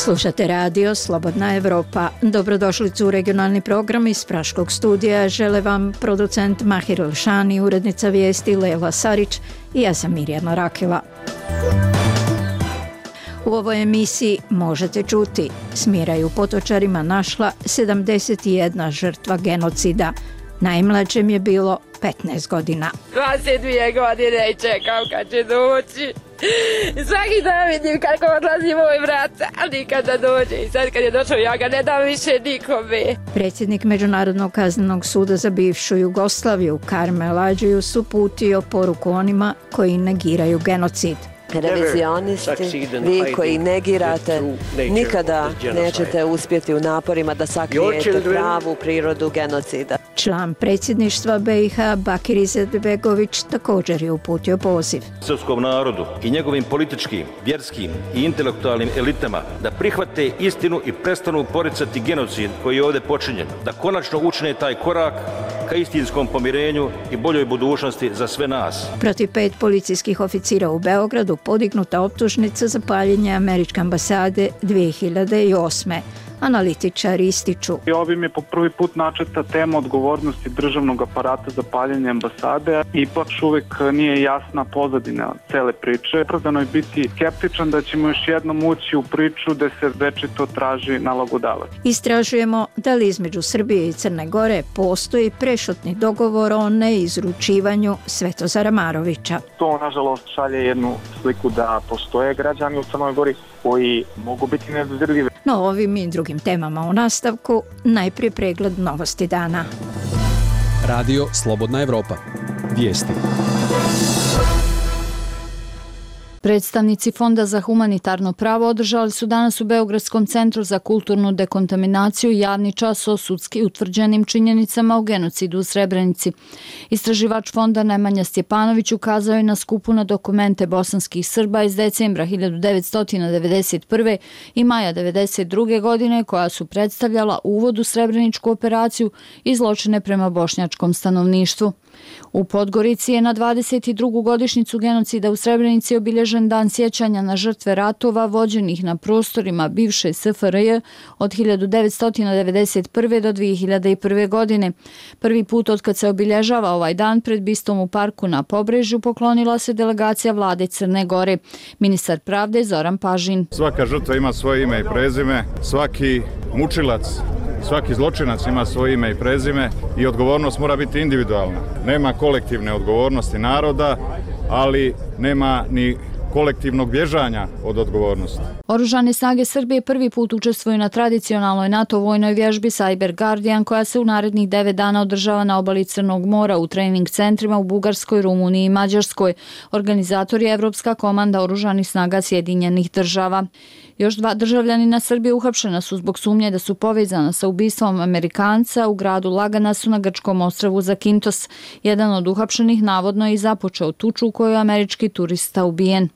Slušate radio Slobodna Evropa. Dobrodošlicu u regionalni program iz Praškog studija. Žele vam producent Mahir Elšani, urednica vijesti Lela Sarić i ja sam Mirjana Rakela. U ovoj emisiji možete čuti: Smira je u Potočarima našla 71 žrtva genocida. Najmlađem je bilo 15 godina. 22 godine i čekam kad će doći. Svaki dan vidim kako odlazi moj brat, ali nikada dođe. I sad kad je došao, ja ga ne dam više nikome. Predsjednik Međunarodnog kaznenog suda za bivšu Jugoslaviju Karmel Adžius uputio poruku onima koji negiraju genocid. Revizionisti, vi koji negirate, nikada nećete uspjeti u naporima da sakrijete pravu prirodu genocida. Član predsjedništva BiH Bakir Izetbegović također je uputio poziv srpskom narodu i njegovim političkim, vjerskim i intelektualnim elitama da prihvate istinu i prestanu poricati genocid koji je ovdje počinjen, da konačno učine taj korak ka istinskom pomirenju i boljoj budućnosti za sve nas. Protiv 5 policijskih oficira u Beogradu podignuta optužnica za paljenje američke ambasade 2008. Analitičari ističu: ovim je po prvi put načeta tema odgovornosti državnog aparata za paljenje ambasade. Ipak uvek nije jasna pozadina cele priče. Opravdano je biti skeptičan da ćemo još jednom ući u priču da se večito traži nalogodavac. Istražujemo da li između Srbije i Crne Gore postoji prešutni dogovor o neizručivanju Svetozara Marovića. To nažalost šalje jednu sliku da postoje građani u Crnoj Gori koji mogu biti nedodirljivi. No, ovim i drugim temama u nastavku, najprije pregled novosti dana. Radio Slobodna Evropa. Vijesti. Predstavnici Fonda za humanitarno pravo održali su danas u Beogradskom centru za kulturnu dekontaminaciju javni čas o sudski utvrđenim činjenicama o genocidu u Srebrenici. Istraživač fonda Nemanja Stjepanović ukazao je na skupu na dokumente bosanskih Srba iz decembra 1991. i maja 1992. godine koja su predstavljala uvod u Srebreničku operaciju i zločine prema bošnjačkom stanovništvu. U Podgorici je na 22. godišnjicu genocida u Srebrenici obilježen dan sjećanja na žrtve ratova vođenih na prostorima bivše SFRJ od 1991. do 2001. godine. Prvi put od kad se obilježava ovaj dan pred bistom u parku na Pobrežju poklonila se delegacija vlade Crne Gore. Ministar pravde Zoran Pažin: svaka žrtva ima svoje ime i prezime, svaki mučilac, svaki zločinac ima svoje ime i prezime i odgovornost mora biti individualna. Nema kolektivne odgovornosti naroda, ali nema ni kolektivnog bježanja od odgovornosti. Oružane snage Srbije prvi put učestvuju na tradicionalnoj NATO vojnoj vježbi Cyber Guardian koja se u narednih 9 dana održava na obali Crnog mora u trening centrima u Bugarskoj, Rumuniji i Mađarskoj. Organizator je Evropska komanda oružanih snaga Sjedinjenih država. Još 2 državljanina Srbije uhapšena su zbog sumnje da su povezana sa ubistvom Amerikanca u gradu Laganasu na grčkom ostrvu Zakintos. Jedan od uhapšenih navodno je i započeo tuču u kojoj je američki turista ubijen.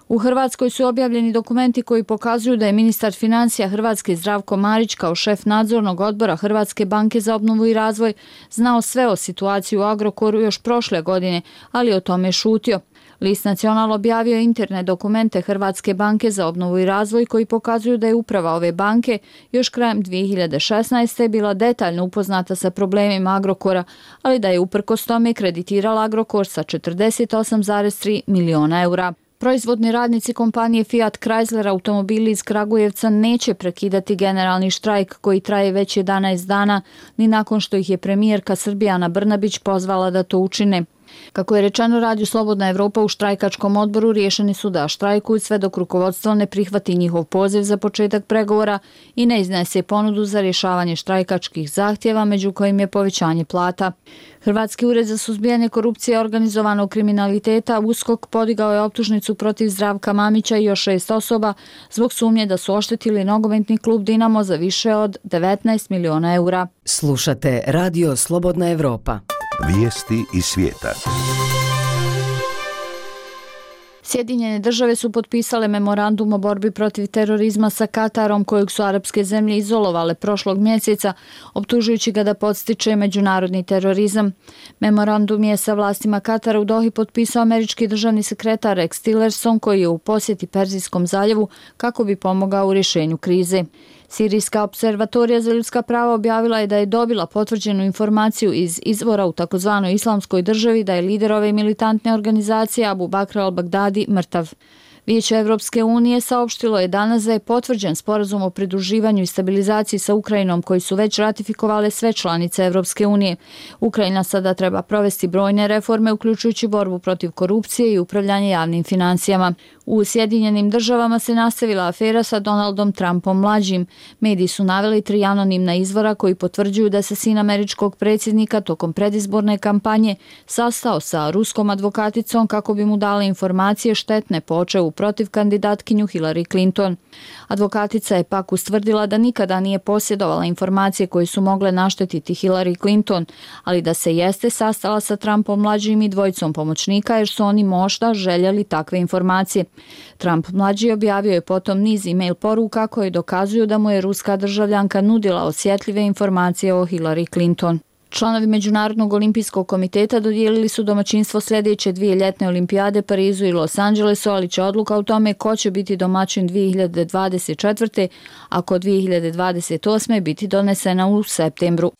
U Hrvatskoj su objavljeni dokumenti koji pokazuju da je ministar financija Hrvatske Zdravko Marić kao šef nadzornog odbora Hrvatske banke za obnovu i razvoj znao sve o situaciji u Agrokoru još prošle godine, ali o tome šutio. List Nacional objavio interne dokumente Hrvatske banke za obnovu i razvoj koji pokazuju da je uprava ove banke još krajem 2016. bila detaljno upoznata sa problemima Agrokora, ali da je uprkos tome kreditirala Agrokor sa 48,3 miliona eura. Proizvodni radnici kompanije Fiat Chrysler automobili iz Kragujevca neće prekidati generalni štrajk koji traje već 11 dana, ni nakon što ih je premijerka Srbijana Brnabić pozvala da to učine. Kako je rečeno radiju Slobodna Evropa, u štrajkačkom odboru riješeni su da štrajkuju sve dok rukovodstvo ne prihvati njihov poziv za početak pregovora i ne iznese ponudu za rješavanje štrajkačkih zahtjeva, među kojim je povećanje plata. Hrvatski ured za suzbijanje korupcije i organizovanog kriminaliteta USKOK podigao je optužnicu protiv Zdravka Mamića i još 6 osoba zbog sumnje da su oštetili nogometni klub Dinamo za više od 19 miliona eura. Slušate Radio Slobodna Evropa. Vijesti iz svijeta. Sjedinjene države su potpisale memorandum o borbi protiv terorizma sa Katarom, kojeg su arapske zemlje izolovale prošlog mjeseca, optužujući ga da podstiče međunarodni terorizam. Memorandum je sa vlastima Katara u Dohi potpisao američki državni sekretar Rex Tillerson, koji je u posjeti Perzijskom zaljevu kako bi pomogao u rješenju krize. Sirijska observatorija za ljudska prava objavila je da je dobila potvrđenu informaciju iz izvora u takozvanoj islamskoj državi da je lider ove militantne organizacije Abu Bakr al-Baghdadi mrtav. Vijeće Evropske unije saopštilo je danas da je potvrđen sporazum o pridruživanju i stabilizaciji sa Ukrajinom, koji su već ratifikovale sve članice Evropske unije. Ukrajina sada treba provesti brojne reforme, uključujući borbu protiv korupcije i upravljanje javnim financijama. U Sjedinjenim državama se nastavila afera sa Donaldom Trumpom mlađim. Mediji su naveli 3 anonimna izvora koji potvrđuju da se sin američkog predsjednika tokom predizborne kampanje sastao sa ruskom advokaticom kako bi mu dala informacije štetne po očevu protiv kandidatkinju Hillary Clinton. Advokatica je pak ustvrdila da nikada nije posjedovala informacije koje su mogle naštetiti Hillary Clinton, ali da se jeste sastala sa Trumpom mlađim i dvojicom pomoćnika jer su oni možda željeli takve informacije. Trump mlađi objavio je potom niz e-mail poruka koje dokazuju da mu je ruska državljanka nudila osjetljive informacije o Hillary Clinton. Članovi Međunarodnog olimpijskog komiteta dodijelili su domaćinstvo sljedeće 2 ljetne olimpijade Parizu i Los Angelesu, ali će odluka o tome ko će biti domaćin 2024. ako 2028. biti donesena u septembru.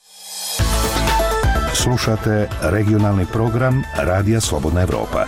Slušate regionalni program Radija Slobodna Evropa.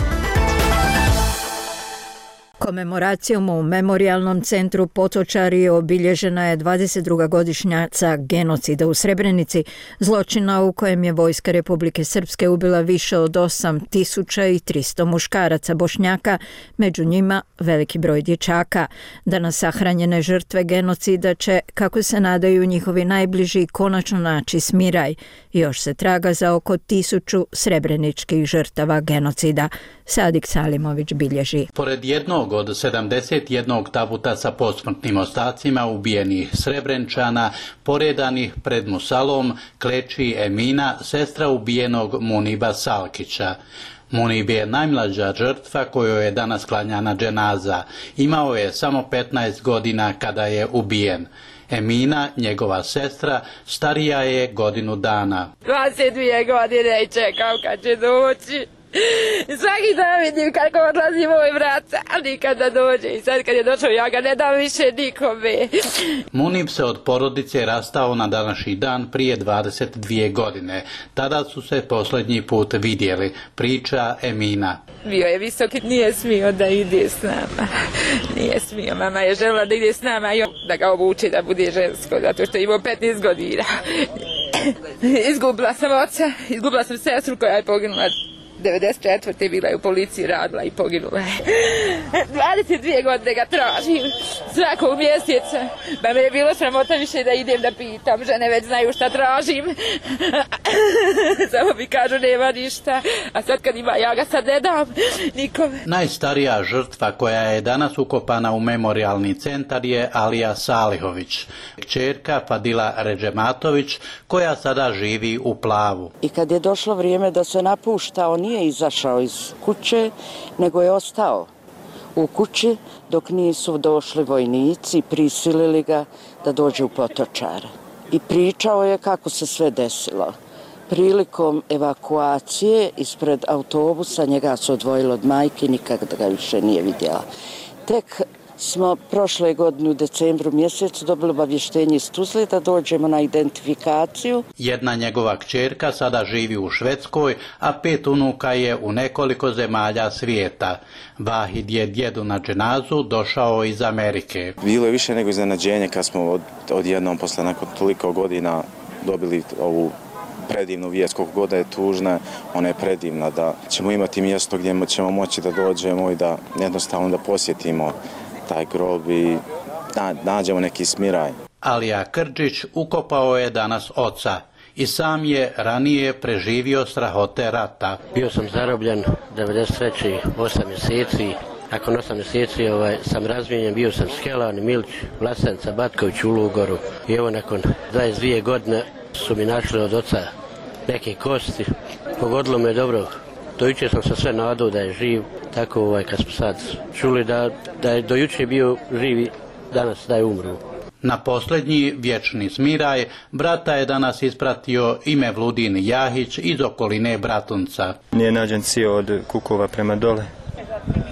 Komemoracijom u Memorijalnom centru Potočari obilježena je 22. godišnjaca genocida u Srebrenici, zločina u kojem je vojska Republike Srpske ubila više od 8300 muškaraca Bošnjaka, među njima veliki broj dječaka. Danas sahranjene žrtve genocida će, kako se nadaju njihovi najbliži, konačno naći smiraj. Još se traga za oko 1000 srebreničkih žrtava genocida. Sadik Salimović bilježi. Pored jednog od 71 tabuta sa posmrtnim ostacima ubijenih Srebrenčana, poredanih pred musalom, kleči Emina, sestra ubijenog Muniba Salkića. Munib je najmlađa žrtva kojoj je danas klanjana dženaza. Imao je samo 15 godina kada je ubijen. Emina, njegova sestra, starija je godinu dana. 22 godine i čekam kad će doći. Svaki dan vidim kako odlazi moj brat, ali nikada dođe. I sad kad je došao, ja ga ne dam više nikome. Munib se od porodice rastao na današnji dan prije 22 godine. Tada su se posljednji put vidjeli, priča Emina. Bio je visoki, nije smio da ide s nama. Nije smio, mama je željela da ide s nama i da ga obuči da bude žensko, zato što je imao 15 godina. Izgubila sam oca, izgubila sam sestru koja je poginula 94. bila je u policiji, radila i poginula je. 22 godine ga tražim svakog mjeseca. Pa me je bilo sramota više da idem da pitam. Žene već znaju šta tražim. Samo mi kažu nema ništa. A sad kad ima, ja ga sad ne dam nikome. Najstarija žrtva koja je danas ukopana u memorijalni centar je Alija Salihović, kćerka Fadila Ređematović, koja sada živi u Plavu. I kad je došlo vrijeme da se napušta, on nije izašao iz kuće, nego je ostao u kući dok nisu došli vojnici, prisilili ga da dođe u Potočare. I pričao je kako se sve desilo. Prilikom evakuacije ispred autobusa njega su odvojili od majke, nikada ga više nije vidjela. Tek smo prošle godine u decembru mjesecu dobili obavještenje iz Tuzle da dođemo na identifikaciju. Jedna njegova kćerka sada živi u Švedskoj, a 5 unuka je u nekoliko zemalja svijeta. Vahid je djedu na dženazu došao iz Amerike. Bilo je više nego iznenađenje kad smo odjednom posle nakon toliko godina dobili ovu predivnu vijest, koliko god je tužna, ona je predivna, da ćemo imati mjesto gdje ćemo moći da dođemo i da jednostavno da posjetimo taj grob i nađemo neki smiraj. Alija Krđić ukopao je danas oca i sam je ranije preživio strahote rata. Bio sam zarobljen 93. 8 mjeseci. Nakon 8 mjeseci sam razmijenjen, bio sam Skelan, Milić, Vlasenica, Batković u Lugoru. I evo nakon 22 godine su mi našli od oca neke kosti. Pogodilo me dobro Do jučer sam se sve nadao da je živ, tako kad smo sad čuli da je do jučer bio živ i danas da je umro. Na posljednji vječni smiraj brata je danas ispratio ime Vludin Jahić iz okoline Bratunca. Nije nađen cio od Kukova prema dole.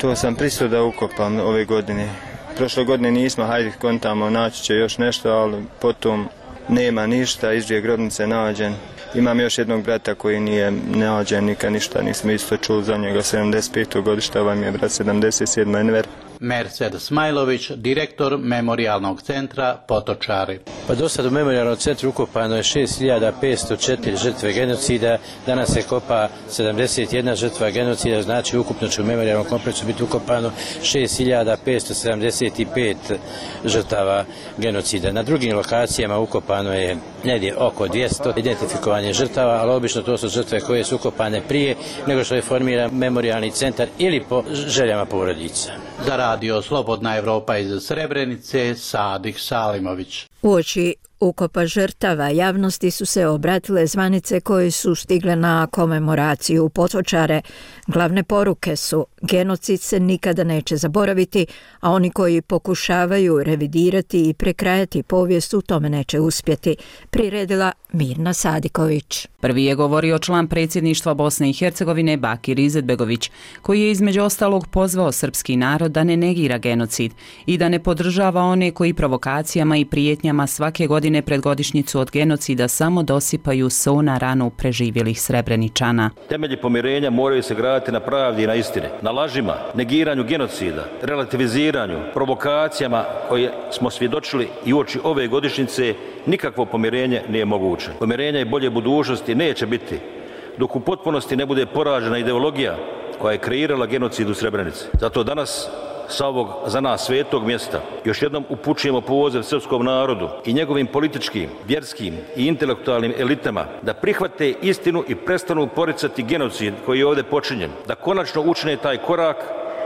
To sam pristao da ukopam ove godine. Prošle godine nismo, hajde kontamo, naći će još nešto, ali potom nema ništa, iz dvije grobnice nađen. Imam još jednog brata koji nije nađen, nikad ništa, nismo isto čuli za njega, 75. godišta, ovaj mi je brat 77. Enver. Merced Smajlović, direktor Memorijalnog centra Potočari. Pa do sad u Memorijalnom centru ukopano je 6504 žrtve genocida, danas se kopa 71 žrtva genocida, znači ukupno će u Memorijalnom kompleksu biti ukopano 6575 žrtava genocida. Na drugim lokacijama ukopano je negdje oko 200 identifikovanje žrtava, ali obično to su žrtve koje su ukopane prije nego što je formiran Memorijalni centar ili po željama porodica. Za radio Slobodna Evropa iz Srebrenice, Sadik Salimović. Uoči ukopa žrtava javnosti su se obratile zvanice koje su stigle na komemoraciju u Potočare. Glavne poruke su: genocid se nikada neće zaboraviti, a oni koji pokušavaju revidirati i prekrajati povijest u tome neće uspjeti, priredila Mirna Sadiković. Prvi je govorio član predsjedništva Bosne i Hercegovine Bakir Izetbegović, koji je između ostalog pozvao srpski narod da ne negira genocid i da ne podržava one koji provokacijama i prijetnjama svake godine pred godišnjicu od genocida samo dosipaju so na ranu preživjelih Srebreničana. Temelji pomirenja moraju se graditi na pravdi i na istini, na lažima, negiranju genocida, relativiziranju, provokacijama koje smo svjedočili i uoči ove godišnjice. Nikakvo pomirenje nije moguće. Pomirenja i bolje budućnosti neće biti dok u potpunosti ne bude poražena ideologija koja je kreirala genocid u Srebrenici. Zato danas sa ovog za nas svetog mjesta još jednom upućujemo poziv srpskom narodu i njegovim političkim, vjerskim i intelektualnim elitama da prihvate istinu i prestanu poricati genocid koji je ovdje počinjen, da konačno učine taj korak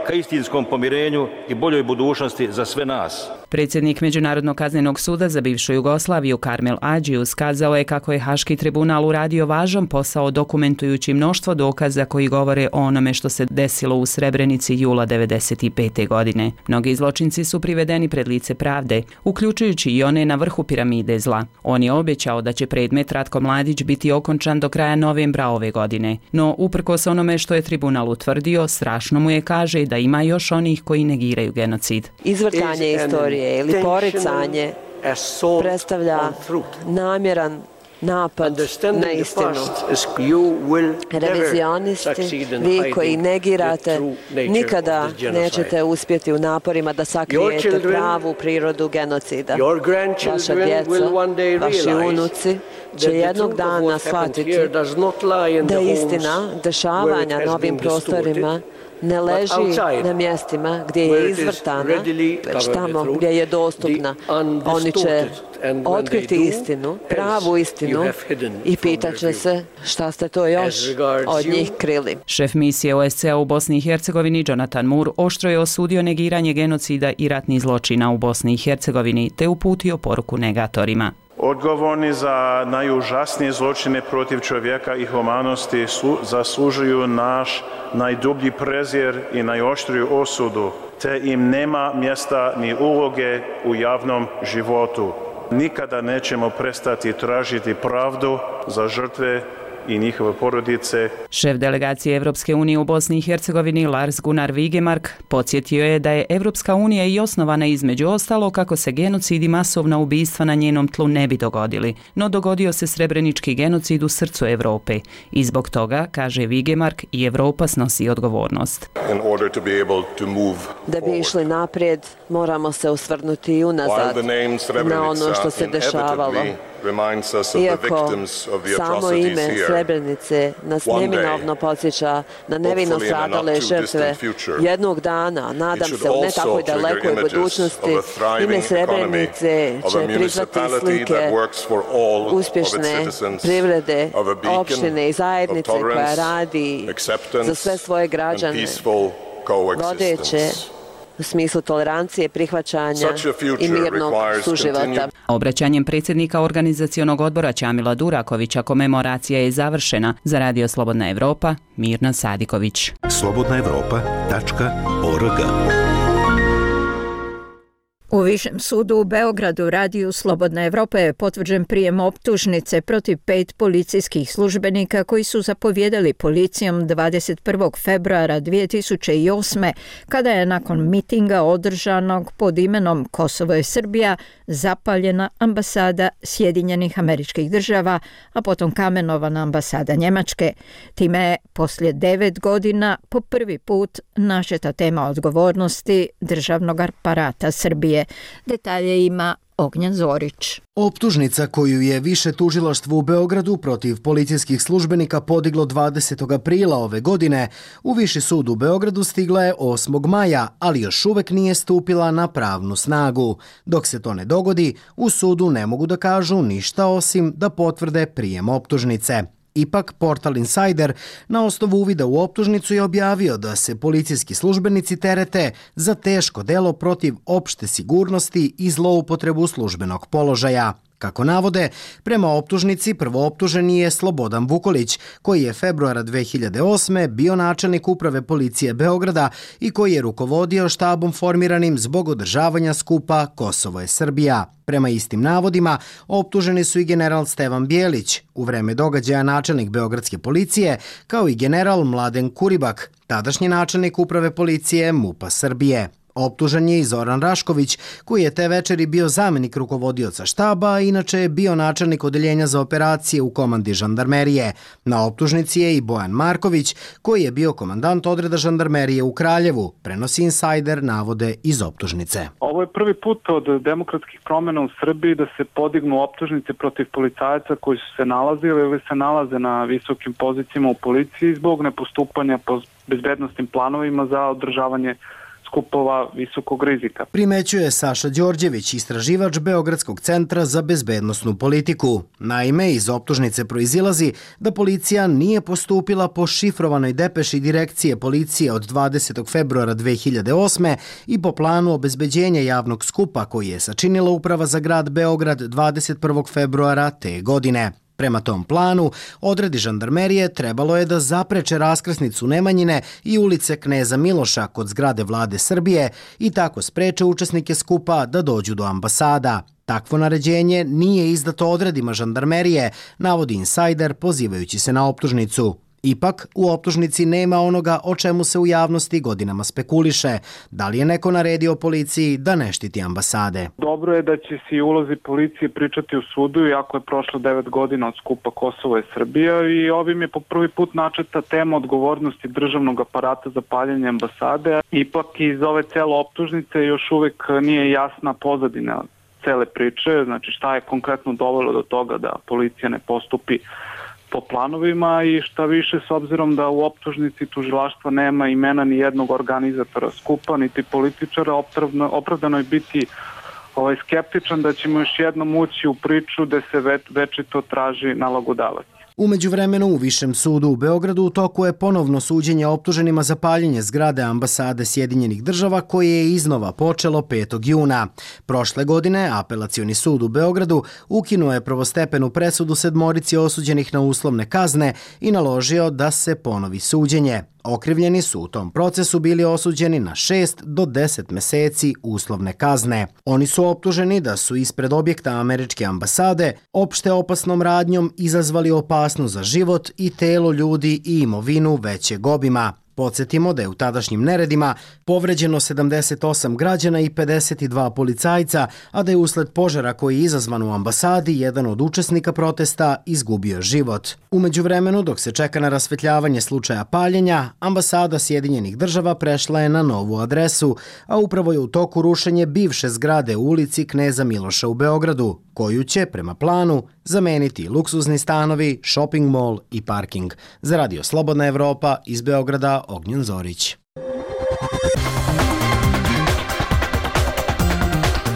ka istinskom pomirenju i boljoj budućnosti za sve nas. Predsjednik Međunarodnog kaznenog suda za bivšu Jugoslaviju Karmel Adžius kazao je kako je Haški tribunal uradio važan posao dokumentujući mnoštvo dokaza koji govore o onome što se desilo u Srebrenici jula 1995. godine. Mnogi zločinci su privedeni pred lice pravde, uključujući i one na vrhu piramide zla. On je obećao da će predmet Ratko Mladić biti okončan do kraja novembra ove godine. No, uprkos onome što je tribunal utvrdio, strašno mu je, kaže, da ima još onih koji negiraju genocid. Izvrtanje istorije ili poricanje predstavlja namjeran napad na istinu. Revizionisti, vi koji negirate, nikada nećete uspjeti u naporima da sakrijete pravu prirodu genocida. Vaša djeca, vaši unuci će jednog dana shvatiti da istina dešavanja na ovim prostorima ne leži na mjestima gdje je izvrtana, već tamo gdje je dostupna. Oni će otkriti istinu, pravu istinu i pitat će se šta ste to još od njih krili. Šef misije OSCE u Bosni i Hercegovini Jonathan Moore oštro je osudio negiranje genocida i ratnih zločina u Bosni i Hercegovini te uputio poruku negatorima. Odgovorni za najužasnije zločine protiv čovjeka i humanosti zaslužuju naš najdublji prezir i najoštriju osudu, te im nema mjesta ni uloge u javnom životu. Nikada nećemo prestati tražiti pravdu za žrtve i njihove porodice. Šef delegacije Evropske unije u Bosni i Hercegovini Lars Gunnar Vigemark podsjetio je da je Evropska unija i osnovana između ostalo kako se genocid i masovna ubistva na njenom tlu ne bi dogodili, no dogodio se srebrenički genocid u srcu Europe i zbog toga, kaže Vigemark, i Europa snosi odgovornost. Da bi išli naprijed, moramo se osvrnuti i unazad na ono što se dešavalo. Iako samo ime Srebrenice nas neminovno podsjeća na nevino stradale žrtve, jednog dana, nadam se u ne takvoj dalekoj budućnosti, ime Srebrenice će prizvati slike uspješne privrede, opštine i zajednice koja radi za sve svoje građane, vodeće u smislu tolerancije, prihvaćanja i mirnog suživota. Obraćanjem predsjednika organizacionog odbora Ćamila Durakovića komemoracija je završena. Za Radio Slobodna Evropa, Mirna Sadiković. slobodnaevropa.org. U Višem sudu u Beogradu Radiju Slobodna Evropa je potvrđen prijem optužnice protiv 5 policijskih službenika koji su zapovjedali policijom 21. februara 2008. kada je nakon mitinga održanog pod imenom Kosovo je Srbija zapaljena ambasada Sjedinjenih Američkih Država, a potom kamenovana ambasada Njemačke. Time je poslije 9 godina po prvi put načeta tema odgovornosti državnog aparata Srbije. Detalje ima Ognjen Zorić. Optužnica koju je Više tužilaštvo u Beogradu protiv policijskih službenika podiglo 20. aprila ove godine, u Viši sud u Beogradu stigla je 8. maja, ali još uvek nije stupila na pravnu snagu. Dok se to ne dogodi, u sudu ne mogu da kažu ništa osim da potvrde prijem optužnice. Ipak, portal Insider na osnovu uvida u optužnicu je objavio da se policijski službenici terete za teško delo protiv opšte sigurnosti i zloupotrebu službenog položaja. Kako navode, prema optužnici prvooptuženi je Slobodan Vukolić, koji je februara 2008. bio načelnik uprave policije Beograda i koji je rukovodio štabom formiranim zbog održavanja skupa Kosovo je Srbija. Prema istim navodima, optuženi su i general Stevan Bijelić, u vreme događaja načelnik Beogradske policije, kao i general Mladen Kuribak, tadašnji načelnik uprave policije MUP-a Srbije. Optužen je i Zoran Rašković, koji je te večeri bio zamenik rukovodioca štaba, a inače je bio načelnik odeljenja za operacije u komandi žandarmerije. Na optužnici je i Bojan Marković, koji je bio komandant odreda žandarmerije u Kraljevu, prenosi Insider navode iz optužnice. Ovo je prvi put od demokratskih promjena u Srbiji da se podignu optužnice protiv policajaca koji su se nalazili ili se nalaze na visokim pozicijama u policiji zbog nepostupanja po bezbednostnim planovima za održavanje skupova visokog rizika. Primećuje Saša Đorđević, istraživač Beogradskog centra za bezbednosnu politiku. Naime, iz optužnice proizilazi da policija nije postupila po šifrovanoj depeši direkcije policije od 20. februara 2008. i po planu obezbeđenja javnog skupa koji je sačinila Uprava za grad Beograd 21. februara te godine. Prema tom planu, odredi žandarmerije trebalo je da zapreče raskrsnicu Nemanjine i ulice Kneza Miloša kod zgrade Vlade Srbije i tako spreče učesnike skupa da dođu do ambasada. Takvo naređenje nije izdato odredima žandarmerije, navodi Insider pozivajući se na optužnicu. Ipak, u optužnici nema onoga o čemu se u javnosti godinama spekuliše. Da li je neko naredio policiji da ne štiti ambasade? Dobro je da će se i ulozi policije pričati u sudu, iako je prošlo 9 godina od skupa Kosovo je Srbija i ovim je po prvi put načeta tema odgovornosti državnog aparata za paljenje ambasade. Ipak iz ove cele optužnice još uvek nije jasna pozadina cele priče, znači šta je konkretno dovelo do toga da policija ne postupi po planovima i šta više s obzirom da u optužnici tužilaštva nema imena ni jednog organizatora skupa, niti političara, opravdano je biti skeptičan da ćemo još jednom ući u priču da se večito traži nalogodavac. U međuvremenu u Višem sudu u Beogradu u toku je ponovno suđenje optuženima za paljenje zgrade ambasade Sjedinjenih Država koje je iznova počelo 5. juna. Prošle godine Apelacioni sud u Beogradu ukinuo je prvostepenu presudu 7 osuđenih na uslovne kazne i naložio da se ponovi suđenje. Okrivljeni su u tom procesu bili osuđeni na 6 do 10 meseci uslovne kazne. Oni su optuženi da su ispred objekta američke ambasade opšte opasnom radnjom izazvali opasnost za život i telo ljudi i imovinu većeg obima. Podsjetimo da je u tadašnjim neredima povređeno 78 građana i 52 policajca, a da je usled požara koji je izazvan u ambasadi jedan od učesnika protesta izgubio život. U međuvremenu, dok se čeka na rasvetljavanje slučaja paljenja, ambasada Sjedinjenih Država prešla je na novu adresu, a upravo je u toku rušenje bivše zgrade u ulici Kneza Miloša u Beogradu, koju će, prema planu, zameniti luksuzni stanovi, shopping mall i parking. Za Radio Slobodna Evropa iz Beograda, Ognjen Zorić.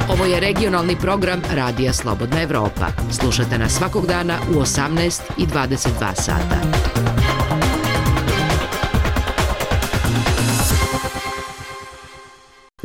Ovo je regionalni program Radija Slobodna Evropa. Slušajte nas svakog dana u 18 i 22 sata.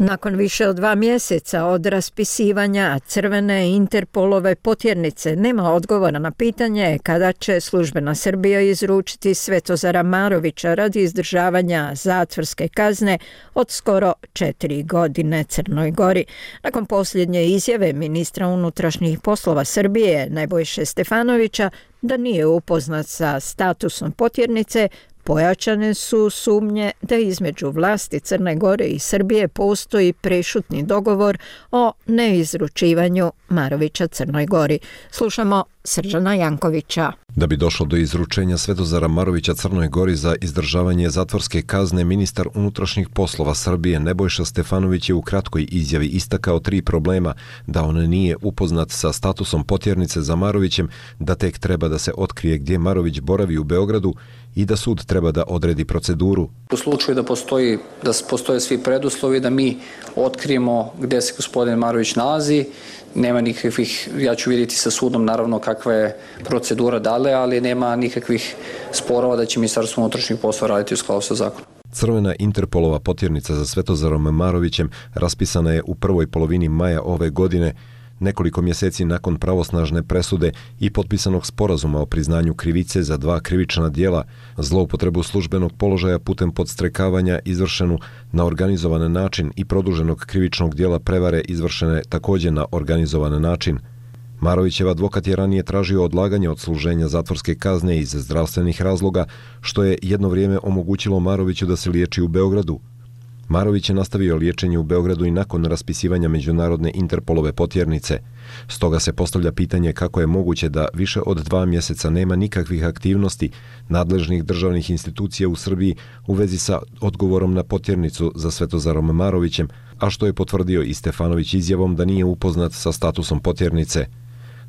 Nakon više od 2 mjeseca od raspisivanja crvene Interpolove potjernice nema odgovora na pitanje kada će službena Srbija izručiti Svetozara Marovića radi izdržavanja zatvorske kazne od skoro 4 godine Crnoj Gori. Nakon posljednje izjave ministra unutrašnjih poslova Srbije Nebojše Stefanovića da nije upoznat sa statusom potjernice, pojačane su sumnje da između vlasti Crne Gore i Srbije postoji prešutni dogovor o neizručivanju Marovića Crnoj Gori. Slušamo Srđana Jankovića. Da bi došlo do izručenja Svetozara Marovića Crnoj Gori za izdržavanje zatvorske kazne, ministar unutrašnjih poslova Srbije Nebojša Stefanović je u kratkoj izjavi istakao 3 problema: da on nije upoznat sa statusom potjernice za Marovićem, da tek treba da se otkrije gdje Marović boravi u Beogradu i da sud treba da odredi proceduru. U slučaju da postoje svi preduslovi da mi otkrijemo gdje se gospodin Marović nalazi, nema nikakvih, ja ću vidjeti sa sudom naravno kakva je procedura dalje, ali nema nikakvih sporova da će Ministarstvo unutrašnjih poslova raditi u skladu sa zakonom. Crvena Interpolova potjernica za Svetozarom Marovićem raspisana je u prvoj polovini maja ove godine, nekoliko mjeseci nakon pravosnažne presude i potpisanog sporazuma o priznanju krivice za 2 krivična djela: zloupotrebu službenog položaja putem podstrekavanja izvršenu na organizovan način i produženog krivičnog djela prevare izvršene također na organizovan način. Marovićev advokat je ranije tražio odlaganje odsluženja zatvorske kazne iz zdravstvenih razloga, što je jedno vrijeme omogućilo Maroviću da se liječi u Beogradu. Marović je nastavio liječenje u Beogradu i nakon raspisivanja međunarodne Interpolove potjernice. Stoga se postavlja pitanje kako je moguće da više od 2 mjeseca nema nikakvih aktivnosti nadležnih državnih institucija u Srbiji u vezi sa odgovorom na potjernicu za Svetozarom Marovićem, a što je potvrdio i Stefanović izjavom da nije upoznat sa statusom potjernice.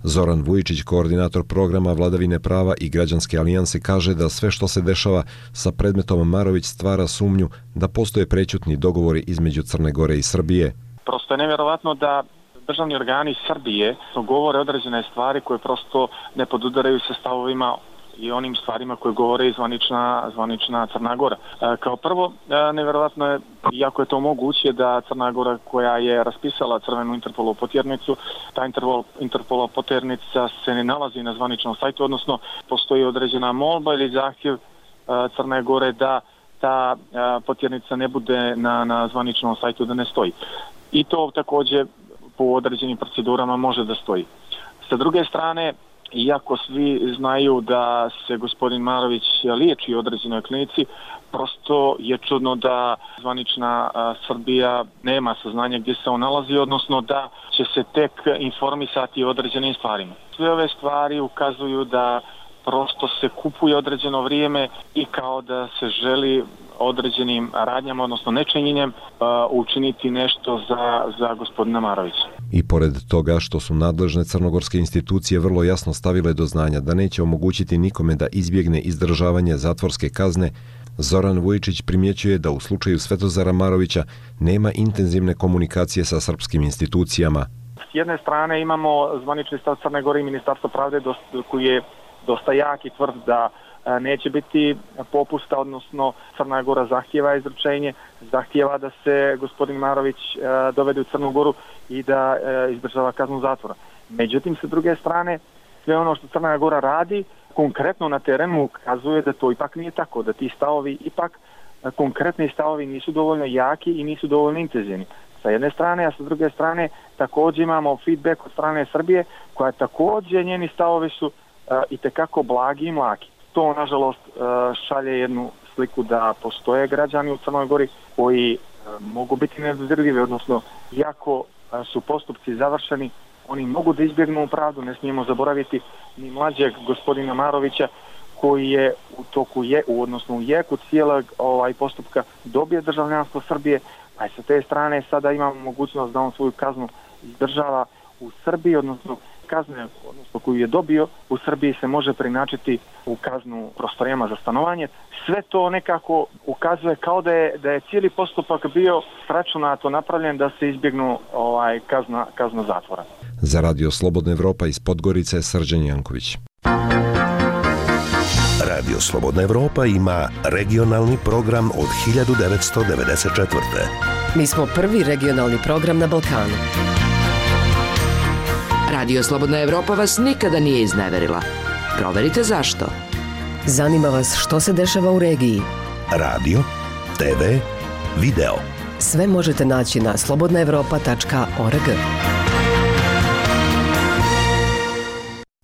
Zoran Vujičić, koordinator programa Vladavine prava i Građanske alijanse, kaže da sve što se dešava sa predmetom Marović stvara sumnju da postoje prečutni dogovori između Crne Gore i Srbije. Prosto je nevjerovatno da državni organi Srbije govore određene stvari koje prosto ne podudaraju sa stavovima i onim stvarima koje govore i zvanična Crna Gora. Kao prvo, nevjerovatno je, iako je to moguće, da Crna Gora koja je raspisala crvenu Interpolovu potjernicu, ta Interpolova potjernica se ne nalazi na zvaničnom sajtu, odnosno postoji određena molba ili zahtjev Crne Gore da ta potjernica ne bude na zvaničnom sajtu, da ne stoji. I to također po određenim procedurama može da stoji. Sa druge strane, iako svi znaju da se gospodin Marović liječi u određenoj klinici, prosto je čudno da zvanična Srbija nema saznanja gdje se on nalazi, odnosno da će se tek informisati o određenim stvarima. Sve ove stvari ukazuju da prosto se kupuje određeno vrijeme i kao da se želi određenim radnjama, odnosno nečinjenjem, učiniti nešto za gospodina Marovića. I pored toga što su nadležne crnogorske institucije vrlo jasno stavile do znanja da neće omogućiti nikome da izbjegne izdržavanje zatvorske kazne, Zoran Vujičić primjećuje da u slučaju Svetozara Marovića nema intenzivne komunikacije sa srpskim institucijama. S jedne strane imamo zvanični stav Crne Gore i Ministarstvo pravde koji je dosta jak i tvrd da neće biti popusta, odnosno Crna Gora zahtijeva izručenje, zahtijeva da se gospodin Marović dovede u Crnu Goru i da izdržava kaznu zatvora. Međutim, sa druge strane, sve ono što Crna Gora radi konkretno na terenu ukazuje da to ipak nije tako, da ti stavovi ipak, konkretni stavovi nisu dovoljno jaki i nisu dovoljno intenzivni. Sa jedne strane, a sa druge strane također imamo feedback od strane Srbije, koja također njeni stavovi su itekako blagi i mlaki. To, nažalost, šalje jednu sliku da postoje građani u Crnoj Gori koji mogu biti nedodirljivi, odnosno iako su postupci završeni, oni mogu da izbjegnu pravdu. Ne smijemo zaboraviti ni mlađeg gospodina Marovića koji je u jeku cijelog postupka dobije državljanstvo Srbije, a sa te strane sada imamo mogućnost da on svoju kaznu izdržava u Srbiji, odnosno kazne koju je dobio u Srbiji se može preinačiti u kaznu prostorijama za stanovanje. Sve to nekako ukazuje kao da je cijeli postupak bio sračunato napravljen da se izbjegnu kazna zatvora. Za Radio Slobodna Evropa iz Podgorice, Srđan Janković. Radio Slobodna Evropa ima regionalni program od 1994. Mi smo prvi regionalni program na Balkanu. Radio Slobodna Evropa vas nikada nije izneverila. Proverite zašto. Zanima vas što se dešava u regiji. Radio, TV, video. Sve možete naći na slobodnaevropa.org.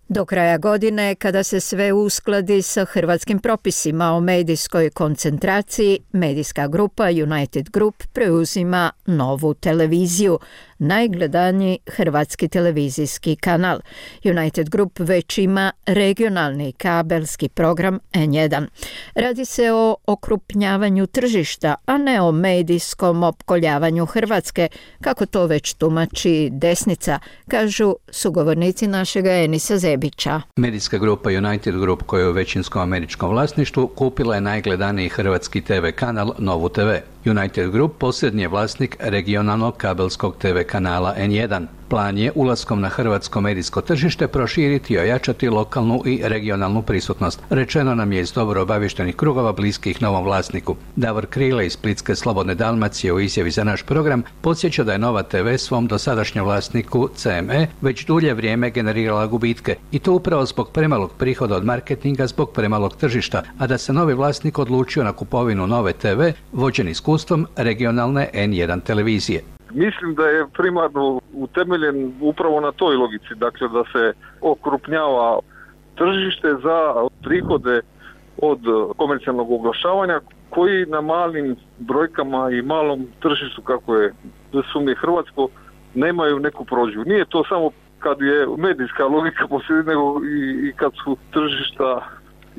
Do kraja godine, kada se sve uskladi sa hrvatskim propisima o medijskoj koncentraciji, medijska grupa United Group preuzima Novu televiziju, najgledaniji hrvatski televizijski kanal. United Group već ima regionalni kabelski program N1. Radi se o okrupnjavanju tržišta, a ne o medijskom opkoljavanju Hrvatske, kako to već tumači desnica, kažu sugovornici našega Enisa Zebića. Medijska grupa United Group, koja je u većinskom američkom vlasništvu, kupila je najgledaniji hrvatski TV kanal Novu TV. United Group posljednji je vlasnik regionalnog kabelskog TV kanala N1. Plan je ulaskom na hrvatsko medijsko tržište proširiti i ojačati lokalnu i regionalnu prisutnost. Rečeno nam je iz dobro obavještenih krugova bliskih novom vlasniku. Davor Krile iz Splitske Slobodne Dalmacije u izjavi za naš program podsjeća da je Nova TV svom dosadašnjem vlasniku CME već dulje vrijeme generirala gubitke i to upravo zbog premalog prihoda od marketinga zbog premalog tržišta, a da se novi vlasnik odlučio na kupovinu Nove TV vođen iskustvom regionalne N1 televizije. Mislim da je primarno utemeljen upravo na toj logici, dakle da se okrupnjava tržište za prihode od komercijalnog oglašavanja koji na malim brojkama i malom tržištu, kako je sumnje hrvatsko, nemaju neku prođu. Nije to samo kad je medijska logika posljedi, nego i kad su tržišta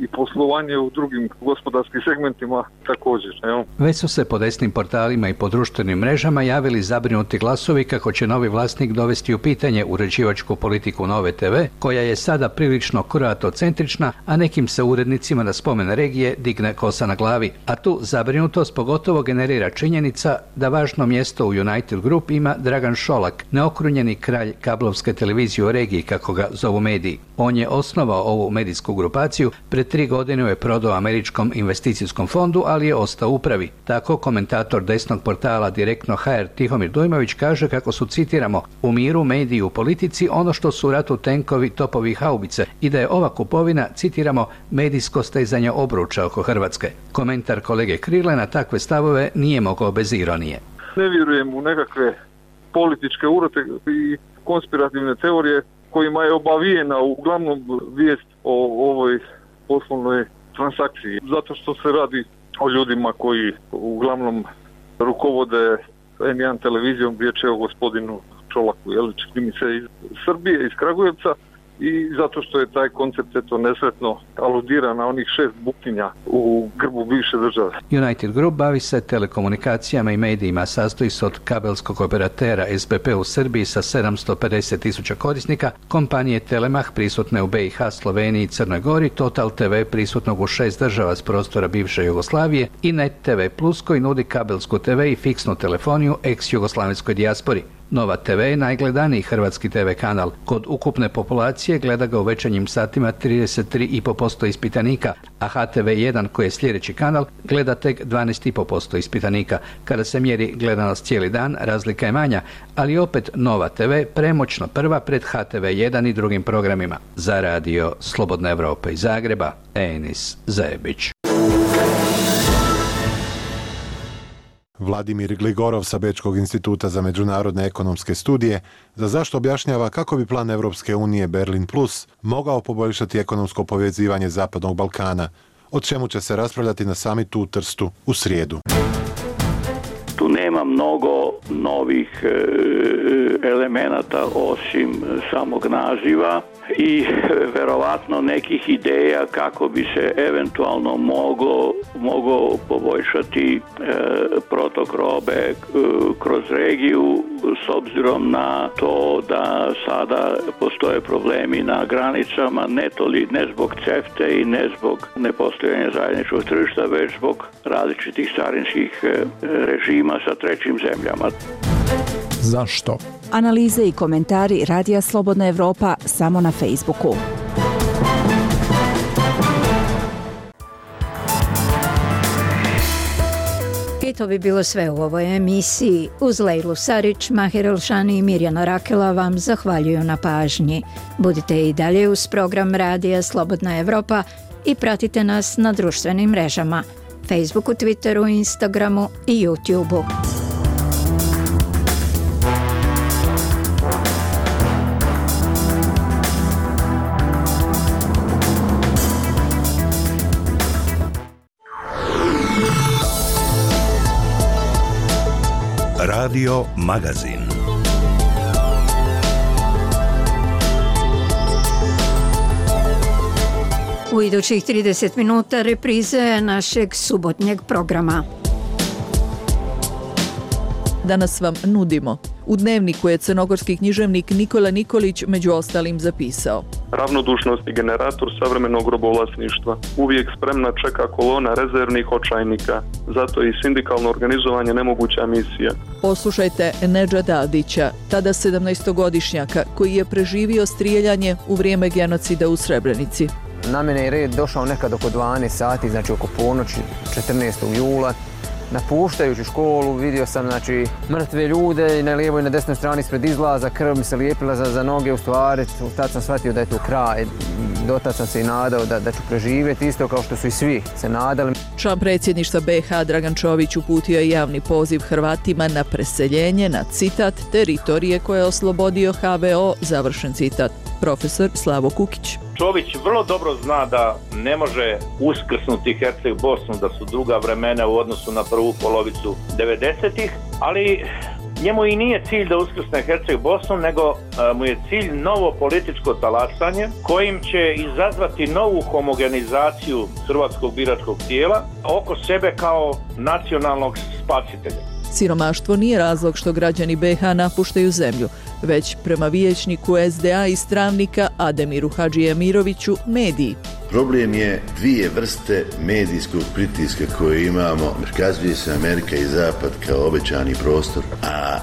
i poslovanje u drugim gospodarskim segmentima također. Evo. Već su se po desnim portalima i po društvenim mrežama javili zabrinuti glasovi kako će novi vlasnik dovesti u pitanje uređivačku politiku Nove TV, koja je sada prilično kroatocentrična, a nekim se urednicima na spomen regije digne kosa na glavi. A tu zabrinutost pogotovo generira činjenica da važno mjesto u United Group ima Dragan Šolak, neokrunjeni kralj kablovske televizije u regiji, kako ga zovu mediji. On je osnovao ovu medijsku grupaciju, pred 3 godine je prodao američkom investicijskom fondu, ali je ostao u upravi. Tako komentator desnog portala Direktno HR Tihomir Dujmović kaže kako su, citiramo, u miru mediji u politici ono što su u ratu tenkovi, topovi i haubice i da je ova kupovina, citiramo, medijsko stezanje obruča oko Hrvatske. Komentar kolege Krile na takve stavove nije mogao bez ironije. Ne vjerujem u nekakve političke urote i konspirativne teorije kojima je obavijena uglavnom vijest o ovoj poslovnoj transakciji. Zato što se radi o ljudima koji uglavnom rukovode N1 televizijom, riječ je o gospodinu Čolaku, čini mi se iz Srbije, iz Kragujevca, i zato što je taj koncept nesretno aludira na onih 6 buktinja u grbu bivše države. United Group bavi se telekomunikacijama i medijima, sastoji se od kabelskog operatera SBP u Srbiji sa 750.000 korisnika, kompanije Telemach prisutne u BiH, Sloveniji i Crnoj Gori, Total TV prisutnog u 6 država s prostora bivše Jugoslavije i Net TV Plus koji nudi kabelsku TV i fiksnu telefoniju ex-jugoslavenskoj dijaspori. Nova TV je najgledaniji hrvatski TV kanal. Kod ukupne populacije gleda ga u večernjim satima 33,5% ispitanika, a HTV1, koji je sljedeći kanal, gleda tek 12,5% ispitanika. Kada se mjeri gledanost cijeli dan, razlika je manja, ali opet Nova TV premoćno prva pred HTV1 i drugim programima. Za radio Slobodna Evropa iz Zagreba, Enis Zebić. Vladimir Gligorov sa Bečkog instituta za međunarodne ekonomske studije za zašto objašnjava kako bi plan Evropske unije Berlin Plus mogao poboljšati ekonomsko povezivanje Zapadnog Balkana, o čemu će se raspravljati na samitu u Trstu u srijedu. Tu nema mnogo novih elemenata osim samog naziva i verovatno nekih ideja kako bi se eventualno mogao poboljšati protok robe kroz regiju s obzirom na to da sada postoje problemi na granicama ne zbog CEFTA i ne zbog nepostojanja zajedničkog tržišta, već zbog različitih carinskih režima sa trećim zemljama. Zašto? Analize i komentari Radija Slobodna Evropa samo na Facebooku. I to bi bilo sve u ovoj emisiji. Uz Lejlu Sarić, Mahir Elšani i Mirjana Rakela vam zahvaljuju na pažnji. Budite i dalje uz program Radija Slobodna Evropa i pratite nas na društvenim mrežama, Facebooku, Twitteru, Instagramu i YouTubeu. Radio Magazin. U idućih 30 minuta reprize našeg subotnjeg programa. Danas vam nudimo. U dnevniku je crnogorski književnik Nikola Nikolić među ostalim zapisao: ravnodušnost i generator savremenog robovlasništva. Uvijek spremna čeka kolona rezervnih očajnika. Zato je i sindikalno organizovanje nemoguća misija. Poslušajte Nedžada Adića, tada 17-godišnjaka, koji je preživio strijeljanje u vrijeme genocida u Srebrenici. Na mene je red došao nekad oko 12 sati, znači oko ponoći 14. jula. Napuštajući školu vidio sam mrtve ljude i na lijevoj i na desnoj strani ispred izlaza, krv mi se lijepila za noge, u stvari tad sam shvatio da je to kraj. Dotad sam se i nadao da ću preživjeti, isto kao što su i svi se nadali. Član predsjedništva BiH Dragan Čović uputio je javni poziv Hrvatima na preseljenje na, citat, teritorije koje je oslobodio HVO, završen citat. Profesor Slavo Kukić. Čović vrlo dobro zna da ne može uskrsnuti Herceg Bosnu, da su druga vremena u odnosu na prvu polovicu 90-ih, ali njemu i nije cilj da uskrsne Herceg Bosnu, nego mu je cilj novo političko talasanje kojim će izazvati novu homogenizaciju hrvatskog biračkog tijela oko sebe kao nacionalnog spasitelja. Siromaštvo nije razlog što građani BiH napuštaju zemlju, već prema vijećniku SDA iz Travnika Ademiru Hadžiemiroviću mediji. Problem je dvije vrste medijskog pritiska koje imamo. Prikazuje se Amerika i Zapad kao obećani prostor, a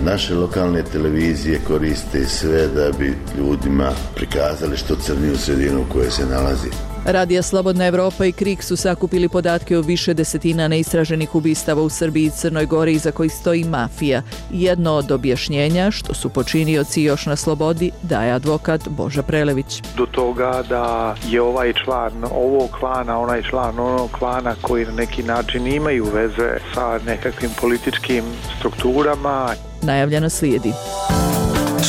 naše lokalne televizije koriste sve da bi ljudima prikazali što crniju sredinu u kojoj se nalazi. Radija Slobodna Evropa i KRIK su sakupili podatke o više desetina neistraženih ubistava u Srbiji i Crnoj Gori iza kojih stoji mafija. Jedno od objašnjenja, što su počinioci još na slobodi, daje advokat Boža Prelević. Do toga da je ovaj član ovog klana, onaj član onog klana koji na neki način imaju veze sa nekakvim političkim strukturama. Najavljeno slijedi.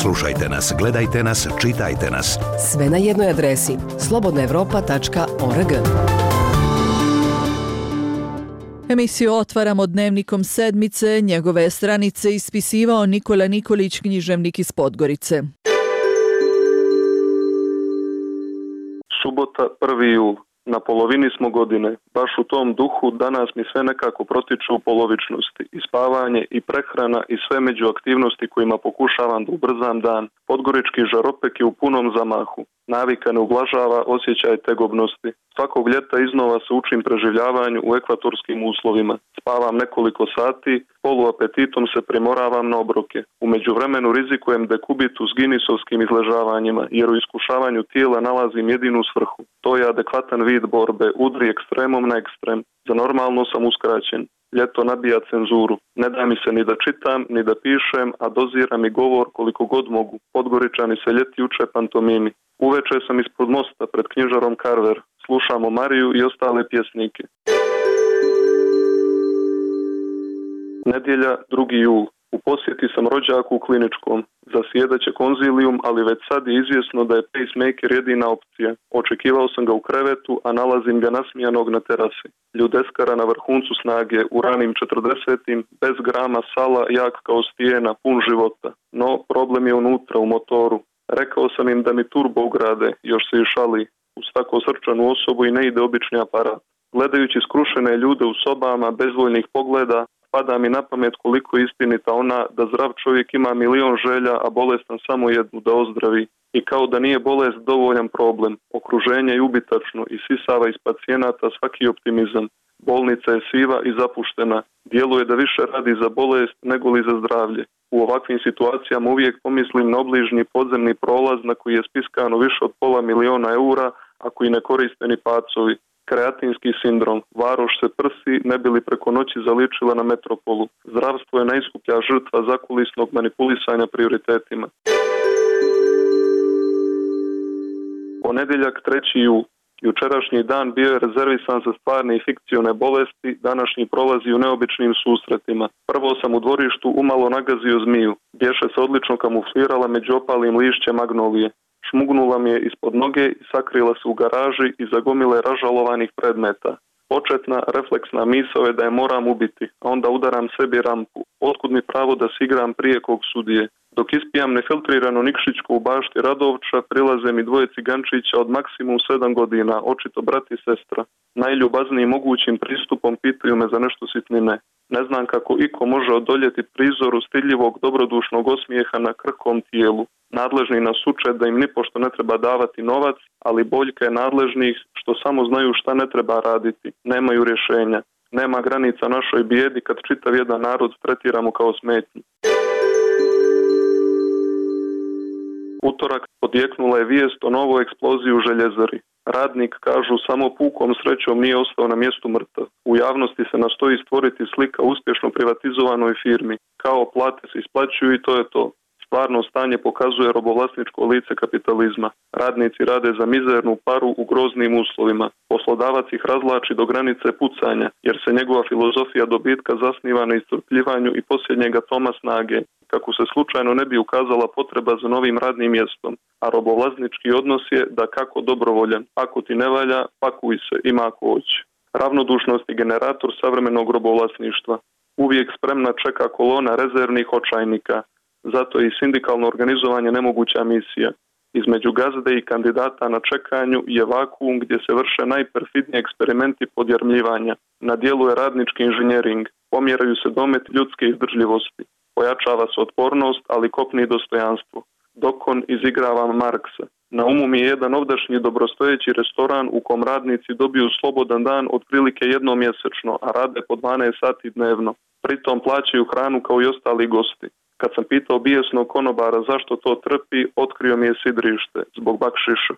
Slušajte nas, gledajte nas, čitajte nas. Sve na jednoj adresi slobodnaevropa.org. Emisiju otvaramo dnevnikom sedmice. Njegove stranice ispisivao Nikola Nikolić, književnik iz Podgorice. Subota, 1. jul. Na polovini smo godine. Baš u tom duhu danas mi sve nekako protiču u polovičnosti. I spavanje, i prehrana, i sve među aktivnosti kojima pokušavam da ubrzam dan. Podgorički žaropek je u punom zamahu. Navika ne ublažava osjećaj tegobnosti. Svakog ljeta iznova se učim preživljavanju u ekvatorskim uslovima. Spavam nekoliko sati, poluapetitom se primoravam na obroke. U međuvremenu rizikujem dekubitu s ginisovskim izležavanjima, jer u iskušavanju tijela nalazim jedinu svrhu. To je adekvatan vid borbe, udri ekstremom na ekstrem. Za normalno sam uskraćen. Ljeto nabija cenzuru. Ne da mi se ni da čitam, ni da pišem, a dozira mi govor koliko god mogu. Podgoričani se ljeti uče pantomimi. Uveče sam ispod mosta pred knjižarom Carver. Slušamo Mariju i ostale pjesnike. Nedjelja, 2. jul. U posjeti sam rođaku u kliničkom. Zasjedaće konzilijum, ali već sad je izvjesno da je pacemaker jedina opcija. Očekivao sam ga u krevetu, a nalazim ga nasmijanog na terasi. Ljudeskara na vrhuncu snage, u ranim 40-im, bez grama sala, jak kao stijena, pun života. No, problem je unutra, u motoru. Rekao sam im da mi turbo ugrade, još se i šali. Uz tako srčanu osobu i ne ide obični aparat. Gledajući skrušene ljude u sobama, bezvoljnih pogleda, pada mi na pamet koliko je istinita ona da zdrav čovjek ima milion želja, a bolestan samo jednu, da ozdravi. I kao da nije bolest dovoljan problem. Okruženje je ubitačno i sisava iz pacijenata svaki optimizam. Bolnica je siva i zapuštena. Djeluje da više radi za bolest nego li za zdravlje. U ovakvim situacijama uvijek pomislim na obližnji podzemni prolaz na koji je spiskano više od $500,000, a koji ne koriste ni pacovi. Kreatinski sindrom. Varoš se prsi, ne bi li preko noći zaličila na metropolu. Zdravstvo je najskuplja žrtva zakulisnog manipulisanja prioritetima. Ponedjeljak 3. jul. Jučerašnji dan bio je rezervisan za stvarne i fikcione bolesti, današnji prolazi u neobičnim susretima. Prvo sam u dvorištu umalo nagazio zmiju. Bješe se odlično kamuflirala među opalim lišćem magnolije. Šmugnula mi je ispod noge i sakrila se u garaži iza gomile ražalovanih predmeta. Početna, refleksna misao je da je moram ubiti, a onda udaram sebi rampu. Otkud mi pravo da se igram prije kog sudije? Dok ispijam nefiltriranu Nikšićku u bašti Radovča, prilaze mi dvoje cigančića od maksimum 7 godina, očito brat i sestra. Najljubaznijim mogućim pristupom pitaju me za nešto sitnine. Ne znam kako iko može odoljeti prizoru stidljivog dobrodušnog osmijeha na krhkom tijelu. Nadležni nas uče da im nipošto ne treba davati novac, ali boljka je nadležnih što samo znaju šta ne treba raditi. Nemaju rješenja. Nema granica našoj bijedi kad čitav jedan narod tretiramo kao smetnju. Utorak odjeknula je vijest o novoj eksploziji u željezari. Radnik, kažu, samo pukom srećom nije ostao na mjestu mrtav. U javnosti se nastoji stvoriti slika uspješno privatizovanoj firmi. Kao plate se isplaćuju i to je to. Stvarno stanje pokazuje robovlasničko lice kapitalizma. Radnici rade za mizernu paru u groznim uslovima. Poslodavac ih razlači do granice pucanja, jer se njegova filozofija dobitka zasniva na iscrpljivanju i posljednjeg atoma snage, kako se slučajno ne bi ukazala potreba za novim radnim mjestom. A robovlasnički odnos je da kako dobrovoljan. Ako ti ne valja, pakuj se, ima ako hoće. Ravnodušnost je generator savremenog robovlasništva. Uvijek spremna čeka kolona rezervnih očajnika. Zato je i sindikalno organizovanje nemoguća misija. Između gazde i kandidata na čekanju je vakuum gdje se vrše najperfidniji eksperimenti podjarmljivanja. Na dijelu je radnički inženjering. Pomjeraju se dometi ljudske izdržljivosti. Pojačava se otpornost, ali kopni dostojanstvo. Dokon izigrava Marksa. Na umu mi je jedan ovdašnji dobrostojeći restoran u kom radnici dobiju slobodan dan otprilike jednom mjesečno, a rade po 12 sati dnevno. Pritom plaćaju hranu kao i ostali gosti. Kad sam pitao bijesnog konobara zašto to trpi, otkrio mi je sidrište, zbog bakšiša.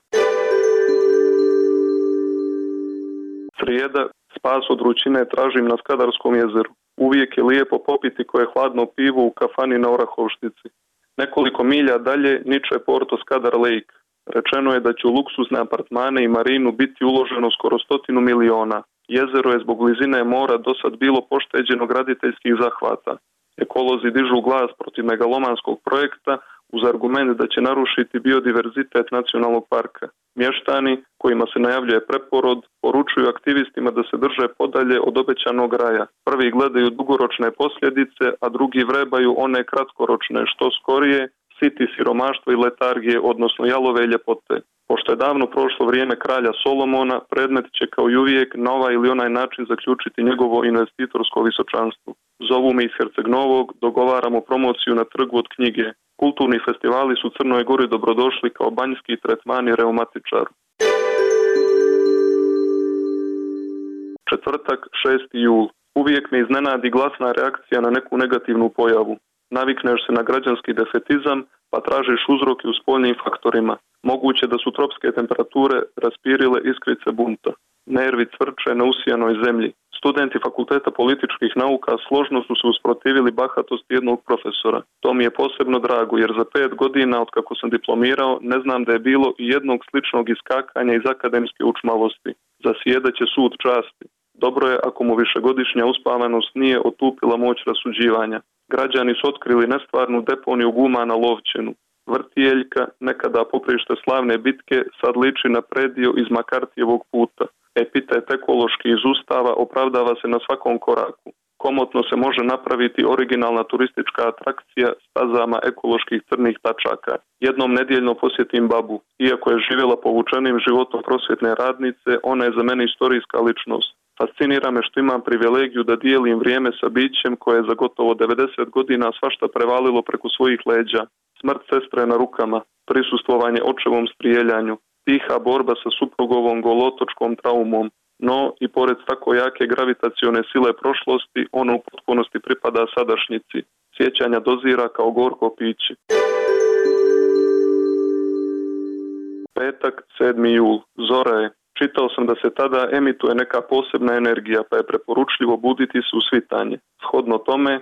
Srijeda, spas od vrućine tražim na Skadarskom jezeru. Uvijek je lijepo popiti koje hladno pivo u kafani na Orahovštici. Nekoliko milja dalje niče Porto Skadar Lake. Rečeno je da će u luksuzne apartmane i marinu biti uloženo skoro 100 miliona. Jezero je zbog blizine mora dosad bilo pošteđeno graditeljskih zahvata. Ekolozi dižu glas protiv megalomanskog projekta uz argument da će narušiti biodiverzitet nacionalnog parka. Mještani, kojima se najavljuje preporod, poručuju aktivistima da se drže podalje od obećanog raja. Prvi gledaju dugoročne posljedice, a drugi vrebaju one kratkoročne, što skorije, siti siromaštva i letargije, odnosno jalove ljepote. Pošto je davno prošlo vrijeme kralja Solomona, predmet će kao i uvijek na ovaj ili onaj način zaključiti njegovo investitorsko visočanstvo. Zovu me iz Herceg Novog, dogovaramo promociju na trgu od knjige. Kulturni festivali su Crnoj Gori dobrodošli kao banjski tretmani reumatičaru. Četvrtak, 6. jul. Uvijek me iznenadi glasna reakcija na neku negativnu pojavu. Navikneš se na građanski defetizam, pa tražiš uzroke u spoljnim faktorima. Moguće da su tropske temperature raspirile iskrice bunta. Nervi cvrče na usijanoj zemlji. Studenti Fakulteta političkih nauka složno su se usprotivili bahatosti jednog profesora. To mi je posebno drago, jer za 5 godina od kako sam diplomirao ne znam da je bilo i jednog sličnog iskakanja iz akademske učmalosti. Zasjedaće sud časti. Dobro je ako mu višegodišnja uspavanost nije otupila moć rasuđivanja. Građani su otkrili nestvarnu deponiju guma na Lovćenu. Vrtijeljka, nekada poprište slavne bitke, sad liči na predio iz Makartijevog puta. Epitet ekološki iz Ustava opravdava se na svakom koraku. Komotno se može napraviti originalna turistička atrakcija stazama ekoloških crnih tačaka. Jednom nedjeljno posjetim babu. Iako je živjela povučenim životom prosvjetne radnice, ona je za mene istorijska ličnost. Fascinira me što imam privilegiju da dijelim vrijeme sa bićem koje je za gotovo 90 godina svašta prevalilo preko svojih leđa. Smrt sestre na rukama, prisustvovanje očevom strijeljanju, tiha borba sa suprugovom golotočkom traumom. No, i pored tako jake gravitacione sile prošlosti, ono u potpunosti pripada sadašnjici. Sjećanja dozira kao gorko piće. Petak, 7. jul. Zora je. Čitao sam da se tada emituje neka posebna energija, pa je preporučljivo buditi se u svitanje. Shodno tome,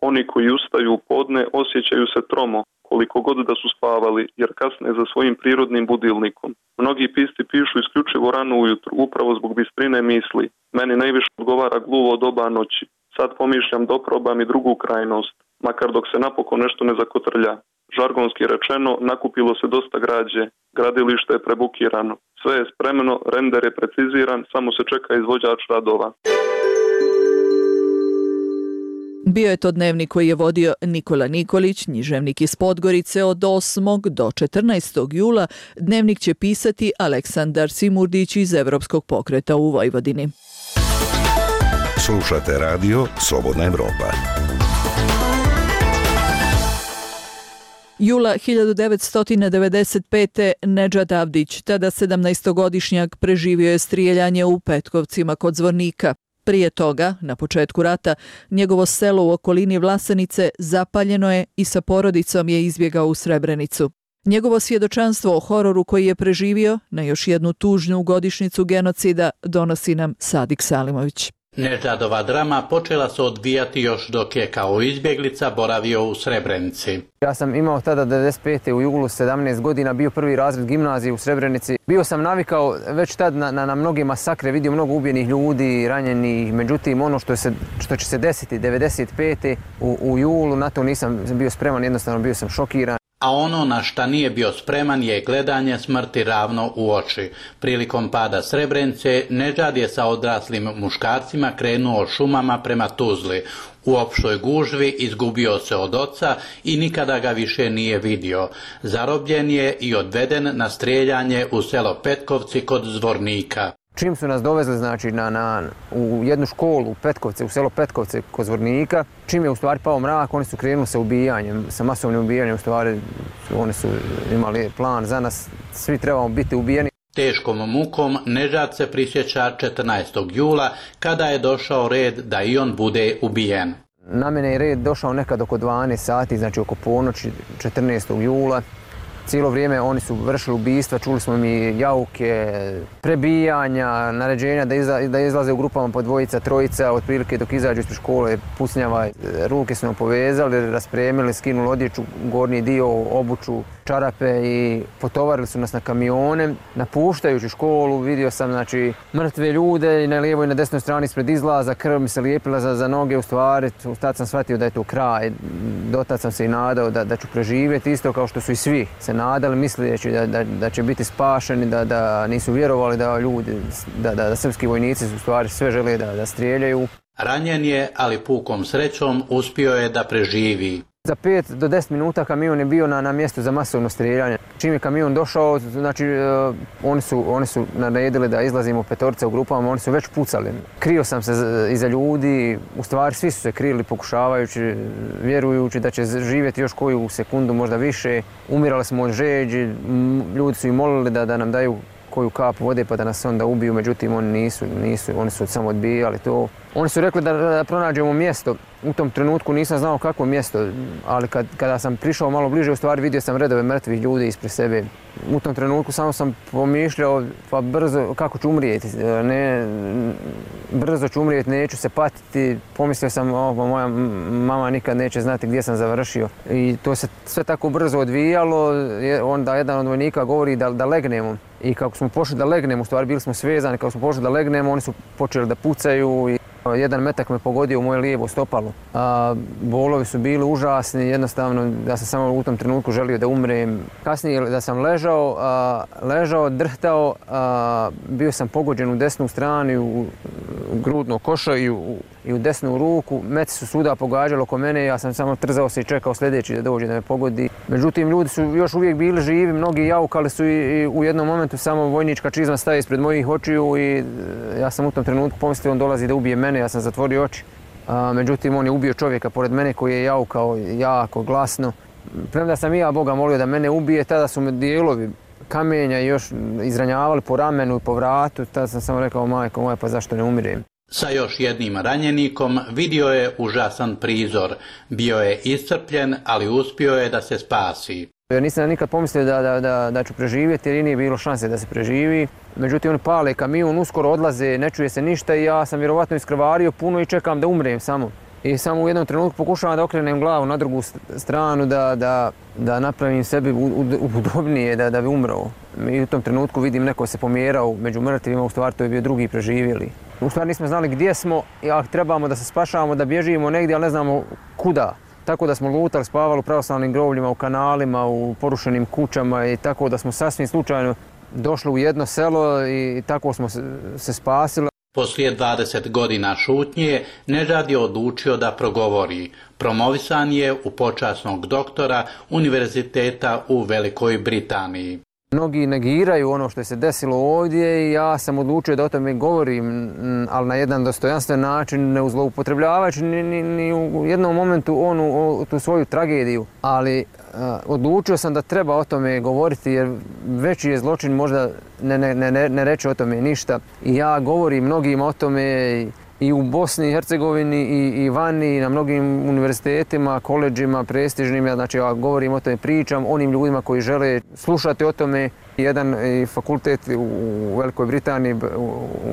oni koji ustaju u podne osjećaju se tromo, koliko god da su spavali, jer kasne za svojim prirodnim budilnikom. Mnogi pisci pišu isključivo rano ujutru, upravo zbog bistrine misli. Meni najviše odgovara gluvo doba noći. Sad pomišljam da oprobam i drugu krajnost, makar dok se napokon nešto ne zakotrlja. Žargonski rečeno, nakupilo se dosta građe, gradilište je prebukirano. Sve je spremno, render je preciziran, samo se čeka izvođač radova. Bio je to dnevnik koji je vodio Nikola Nikolić, književnik iz Podgorice. Od 8. do 14. jula dnevnik će pisati Aleksandar Simurdić iz Evropskog pokreta u Vojvodini. Slušate radio Slobodna Evropa. Jula 1995. Nedžad Avdić, tada 17-godišnjak, preživio je strijeljanje u Petkovcima kod Zvornika. Prije toga, na početku rata, njegovo selo u okolini Vlasenice zapaljeno je i sa porodicom je izbjegao u Srebrenicu. Njegovo svjedočanstvo o hororu koji je preživio na još jednu tužnu godišnjicu genocida donosi nam Sadik Salimović. Nedžadova drama počela se odvijati još dok je kao izbjeglica boravio u Srebrenici. Ja sam imao tada 95. u julu 17 godina, bio prvi razred gimnazije u Srebrenici. Bio sam navikao već tad na mnoge masakre, vidio mnogo ubijenih ljudi, ranjenih. Međutim, ono što će se desiti 95. u julu, na to nisam bio spreman, jednostavno bio sam šokiran. A ono na šta nije bio spreman je gledanje smrti ravno u oči. Prilikom pada Srebrenice, Nedžad je sa odraslim muškarcima krenuo šumama prema Tuzli. U opštoj gužvi izgubio se od oca i nikada ga više nije vidio. Zarobljen je i odveden na strijeljanje u selo Petkovci kod Zvornika. Čim su nas dovezli u jednu školu u Petkovce, u selo Petkovce kod Zvornika, čim je u stvari pao mrak, oni su krenuli sa ubijanjem, sa masovnim ubijanjem, u stvari oni su imali plan za nas, svi trebamo biti ubijeni. Teškom mukom Nedžad se prisjeća 14. jula kada je došao red da i on bude ubijen. Na mene je red došao nekad oko 12 sati, znači oko ponoći 14. jula. Cijelo vrijeme oni su vršili ubistva, čuli smo mi jauke, prebijanja, naređenja da izlaze u grupama po dvojica, trojica, otprilike dok izađu ispred škole, pucnjava. Ruke su nam povezali, raspremili, skinuli odjeću, gornji dio, obuću, čarape i potovarili su nas na kamione. Napuštajući školu vidio sam mrtve ljude i na lijevoj i na desnoj strani ispred izlaza, krv mi se lijepila za noge, u stvari. Tad sam shvatio da je to kraj. Dotad sam se i nadao da ću preživjeti, isto kao što su i svi se nadali, misleći da će biti spašeni, da nisu vjerovali da srpski vojnici u stvari sve žele da strijeljaju. Ranjen je, ali pukom srećom uspio je da preživi. Za 5 do 10 minuta kamion je bio na mjestu za masovno strijeljanje. Čim je kamion došao, oni su naredili da izlazimo petorica u grupama, oni su već pucali. Krio sam se iza ljudi, u stvari svi su se krili pokušavajući, vjerujući da će živjeti još koju sekundu, možda više. Umirali smo od žeđi, ljudi su i molili da nam daju koju kapu vode pa da nas onda ubiju, međutim oni oni su samo odbijali to. Oni su rekli da pronađemo mjesto. U tom trenutku nisam znao kakvo mjesto, ali kada sam prišao malo bliže, u stvari vidio sam redove mrtvih ljudi ispred sebe. U tom trenutku samo sam pomišljao, pa brzo, kako ću umrijeti, brzo ću umrijeti, neću se patiti. Pomislio sam, moja mama nikad neće znati gdje sam završio. I to se sve tako brzo odvijalo, onda jedan od vojnika govori da legnemo. I kako smo pošli da legnemo, u stvari bili smo svezani, kako smo pošli da legnemo, oni su počeli da pucaju i jedan metak me pogodio u moje lijevo stopalo. Bolovi su bili užasni, jednostavno ja sam samo u tom trenutku želio da umrem. Kasnije da sam ležao, drhtao, bio sam pogođen u desnu stranu, u grudno košo i u desnu ruku. Meci su svuda pogađali oko mene, ja sam samo trzao se i čekao sljedeći da dođe da me pogodi. Međutim, ljudi su još uvijek bili živi, mnogi jaukali su i u jednom momentu samo vojnička čizma staje ispred mojih očiju i ja sam u tom trenutku pomislio on dolazi da ubije mene, ja sam zatvorio oči. Međutim, on je ubio čovjeka pored mene koji je jaukao jako glasno. Premda sam i ja Boga molio da mene ubije, tada su me dijelovi kamenja još izranjavali po ramenu i po vratu, tada sam samo rekao, majko moja, pa zašto ne umirem? Sa još jednim ranjenikom vidio je užasan prizor. Bio je iscrpljen, ali uspio je da se spasi. Jer nisam nikad pomislio da ću preživjeti jer i nije bilo šanse da se preživi. Međutim, oni pale kamion, uskoro odlaze, ne čuje se ništa i ja sam vjerovatno iskrvario puno i čekam da umrem samo. I samo u jednom trenutku pokušavam da okrenem glavu na drugu stranu, da napravim sebi udobnije, da bi umrao. I u tom trenutku vidim neko se pomjerao među mrtvima, u stvari to je bio drugi preživjeli. U stvari nismo znali gdje smo, a trebamo da se spašavamo, da bježimo negdje, ali ne znamo kuda. Tako da smo lutali, spavali u pravoslavnim grovljima, u kanalima, u porušenim kućama i tako da smo sasvim slučajno došli u jedno selo i tako smo se spasili. Poslije 20 godina šutnje, Nežad je odlučio da progovori. Promovisan je u počasnog doktora Univerziteta u Velikoj Britaniji. Mnogi negiraju ono što je se desilo ovdje i ja sam odlučio da o tome govorim, ali na jedan dostojanstven način, ne zloupotrebljavajući ni u jednom momentu tu svoju tragediju. Ali odlučio sam da treba o tome govoriti jer veći je zločin možda ne reći o tome ništa. I ja govorim mnogima o tome i u Bosni i Hercegovini i vani, na mnogim univerzitetima, koledžima, prestižnim. Znači ja govorim o tome, pričam onim ljudima koji žele slušati o tome. Jedan fakultet u Velikoj Britaniji,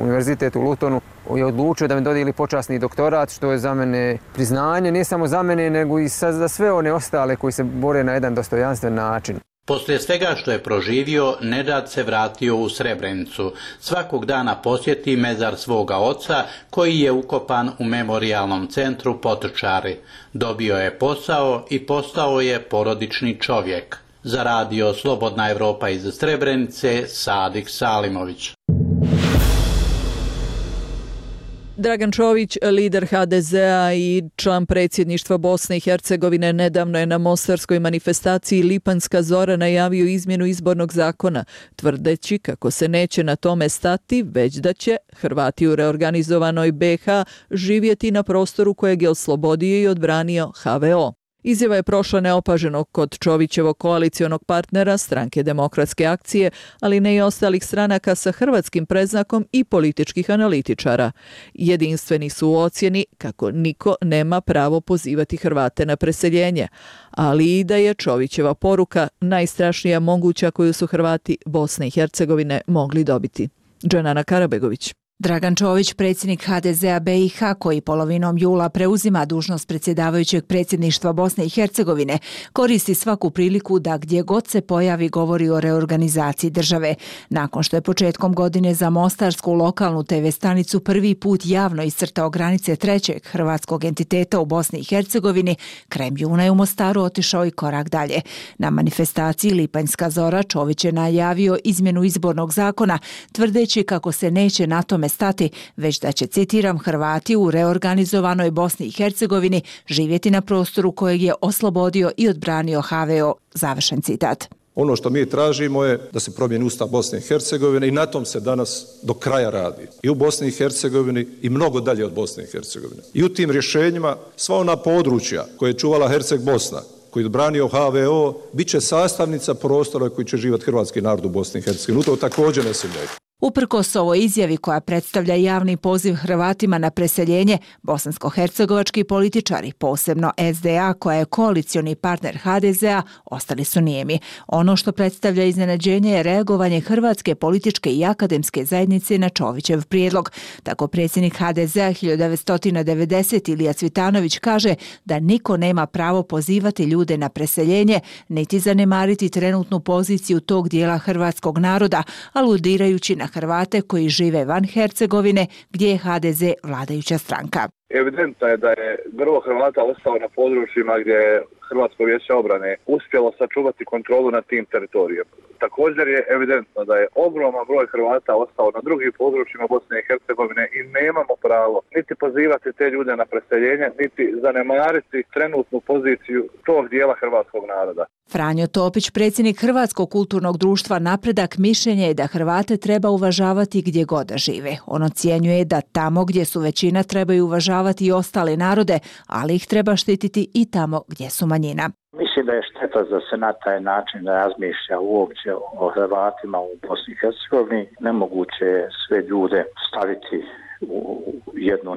univerzitet u Lutonu, je odlučio da mi dodijeli počasni doktorat, što je za mene priznanje, ne samo za mene, nego i za sve one ostale koji se bore na jedan dostojanstven način. Poslije svega što je proživio, Nežad se vratio u Srebrenicu. Svakog dana posjeti mezar svoga oca, koji je ukopan u memorijalnom centru Potočari. Dobio je posao i postao je porodični čovjek. Za radio Slobodna Evropa iz Srebrenice, Sadik Salimović. Dragan Čović, lider HDZ-a i član predsjedništva Bosne i Hercegovine, nedavno je na mostarskoj manifestaciji Lipanjska zora najavio izmjenu izbornog zakona, tvrdeći kako se neće na tome stati, već da će Hrvati u reorganizovanoj BiH živjeti na prostoru kojeg je oslobodio i odbranio HVO. Izjava je prošla neopaženo kod Čovićevog koalicionog partnera, Stranke demokratske akcije, ali ne i ostalih stranaka sa hrvatskim predznakom i političkih analitičara. Jedinstveni su u ocjeni kako niko nema pravo pozivati Hrvate na preseljenje, ali i da je Čovićeva poruka najstrašnija moguća koju su Hrvati Bosne i Hercegovine mogli dobiti. Dženana Karabegović. Dragan Čović, predsjednik HDZ-a BiH, koji polovinom jula preuzima dužnost predsjedavajućeg predsjedništva Bosne i Hercegovine, koristi svaku priliku da gdje god se pojavi govori o reorganizaciji države. Nakon što je početkom godine za mostarsku lokalnu TV stanicu prvi put javno iscrtao granice trećeg hrvatskog entiteta u Bosni i Hercegovini, krajem juna je u Mostaru otišao i korak dalje. Na manifestaciji Lipanjska zora Čović je najavio izmjenu izbornog zakona, tvrdeći kako se neće na tome stati, već da će, citiram, Hrvati u reorganizovanoj Bosni i Hercegovini živjeti na prostoru kojeg je oslobodio i odbranio HVO. Završen citat. Ono što mi tražimo je da se promijeni Ustav Bosne i Hercegovine i na tom se danas do kraja radi. I u Bosni i Hercegovini i mnogo dalje od Bosne i Hercegovine. I u tim rješenjima sva ona područja koje je čuvala Herceg Bosna, koji je odbranio HVO, bit će sastavnica prostora koji će živjeti hrvatski narod u Bosni i Hercegovini. U to također ne sumnjaju. Uprkos ovoj izjavi koja predstavlja javni poziv Hrvatima na preseljenje, bosansko-hercegovački političari, posebno SDA koja je koalicioni partner HDZ-a, ostali su nijemi. Ono što predstavlja iznenađenje je reagovanje hrvatske političke i akademske zajednice na Čovićev prijedlog. Tako predsjednik HDZ-a 1990 Ilija Cvitanović kaže da niko nema pravo pozivati ljude na preseljenje, niti zanemariti trenutnu poziciju tog dijela hrvatskog naroda, aludirajući na Hrvate koji žive van Hercegovine, gdje je HDZ vladajuća stranka. Evidentno je da je grlo Hrvata ostalo na područjima gdje je Hrvatsko vijeće obrane uspjelo sačuvati kontrolu nad tim teritorijom. Također je evidentno da je ogroman broj Hrvata ostao na drugim područjima Bosne i Hercegovine i nemamo pravo niti pozivati te ljude na preseljenje, niti zanemariti trenutnu poziciju tog dijela hrvatskog naroda. Franjo Topić, predsjednik Hrvatskog kulturnog društva Napredak, mišljenje je da Hrvate treba uvažavati gdje god da žive. On ocjenjuje da tamo gdje su većina trebaju uvažavati i ostale narode, ali ih treba štititi i tamo gdje su manjina. Mislim da je šteta da se na taj način razmišlja uopće o Hrvatima u Bosni i Hercegovini. Nemoguće je sve ljude staviti u jednu,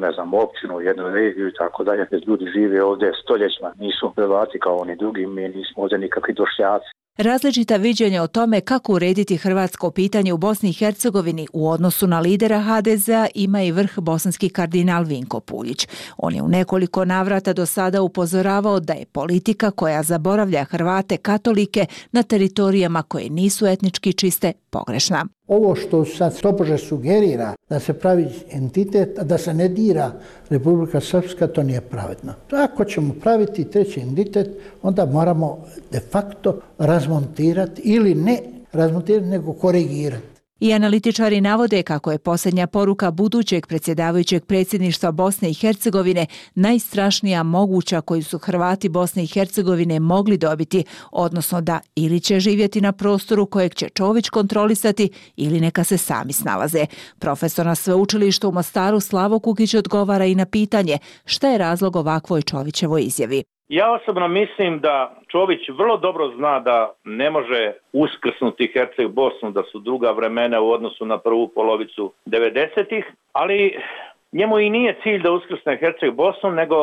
općinu, jednu regiju i tako dalje. Ljudi žive ovdje stoljećima, nisu Hrvati kao oni drugi, mi nismo ovdje nikakvi došljaci. Različita viđenja o tome kako urediti hrvatsko pitanje u Bosni i Hercegovini u odnosu na lidera HDZ-a ima i vrh bosanski kardinal Vinko Puljić. On je u nekoliko navrata do sada upozoravao da je politika koja zaboravlja Hrvate katolike na teritorijama koje nisu etnički čiste pogrešna. Ovo što sad tobože sugerira da se pravi entitet, a da se ne dira Republika Srpska, to nije pravedno. Ako ćemo praviti treći entitet, onda moramo de facto razmontirati ili ne razmontirati, nego korigirati. I analitičari navode kako je posljednja poruka budućeg predsjedavajućeg predsjedništva Bosne i Hercegovine najstrašnija moguća koju su Hrvati Bosne i Hercegovine mogli dobiti, odnosno da ili će živjeti na prostoru kojeg će Čović kontrolisati ili neka se sami snalaze. Profesor na sveučilištu u Mostaru Slavo Kukić odgovara i na pitanje šta je razlog ovakvoj Čovićevoj izjavi. Ja osobno mislim da Čović vrlo dobro zna da ne može uskrsnuti Herceg Bosnu, da su druga vremena u odnosu na prvu polovicu 90-ih, ali njemu i nije cilj da uskrsne Herceg Bosnu, nego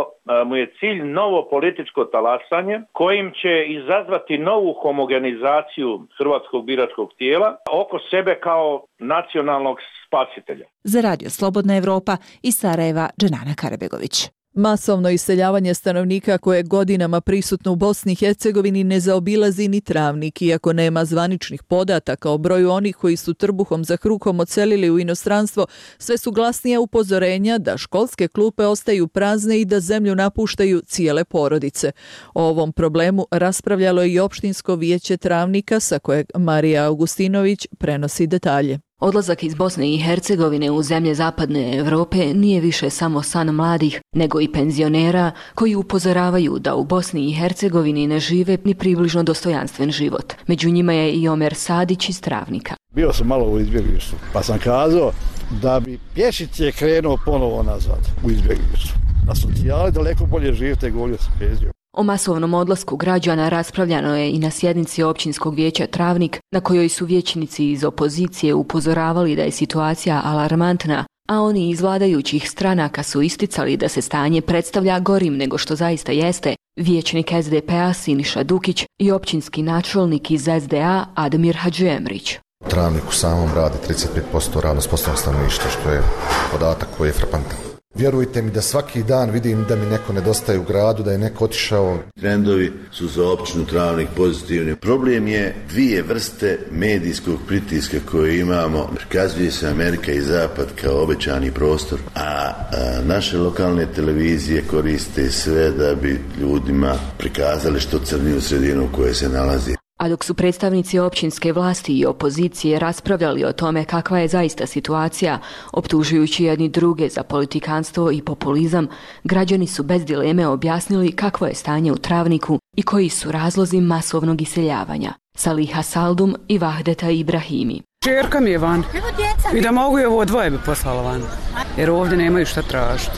mu je cilj novo političko talasanje kojim će izazvati novu homogenizaciju hrvatskog biračkog tijela oko sebe kao nacionalnog spasitelja. Za Radio Slobodna Evropa iz Sarajeva, Dženana Karabegović. Masovno iseljavanje stanovnika koje je godinama prisutno u Bosni i Hercegovini ne zaobilazi ni Travnik, iako nema zvaničnih podataka o broju onih koji su trbuhom za kruhom odselili u inostranstvo, sve su glasnija upozorenja da školske klupe ostaju prazne i da zemlju napuštaju cijele porodice. O ovom problemu raspravljalo je i opštinsko vijeće Travnika, sa kojeg Marija Augustinović prenosi detalje. Odlazak iz Bosne i Hercegovine u zemlje zapadne Europe nije više samo san mladih, nego i penzionera koji upozoravaju da u Bosni i Hercegovini ne žive ni približno dostojanstven život. Među njima je i Omer Sadić iz Travnika. Bio sam malo u izbjeglištvu, pa sam kazao da bi pješice krenuo ponovo nazad u izbjeglištvu. Na socijali daleko bolje živite, govorio sam penzijom. O masovnom odlasku građana raspravljano je i na sjednici općinskog vijeća Travnik, na kojoj su vijećnici iz opozicije upozoravali da je situacija alarmantna, a oni iz vladajućih stranaka su isticali da se stanje predstavlja gorim nego što zaista jeste. Vijećnik SDP-a Siniša Dukić i općinski načelnik iz SDA Admir Hadžiemrić. U Travniku samom radi 35% radno sposobnog stanovništva, što je podatak koji je frapantan. Vjerujte mi da svaki dan vidim da mi neko nedostaje u gradu, da je neko otišao. Trendovi su za općinu Travnik pozitivni. Problem je dvije vrste medijskog pritiska koje imamo. Prikazuje se Amerika i Zapad kao obećani prostor, a naše lokalne televizije koriste sve da bi ljudima prikazali što crniju sredinu u kojoj se nalazi. A dok su predstavnici općinske vlasti i opozicije raspravljali o tome kakva je zaista situacija, optužujući jedni druge za politikanstvo i populizam, građani su bez dileme objasnili kakvo je stanje u Travniku i koji su razlozi masovnog iseljavanja. Saliha Saldum i Vahdeta Ibrahimi. Čerka mi je van i da mogu i ovo dvoje bi poslala van, jer ovdje nemaju šta tražiti.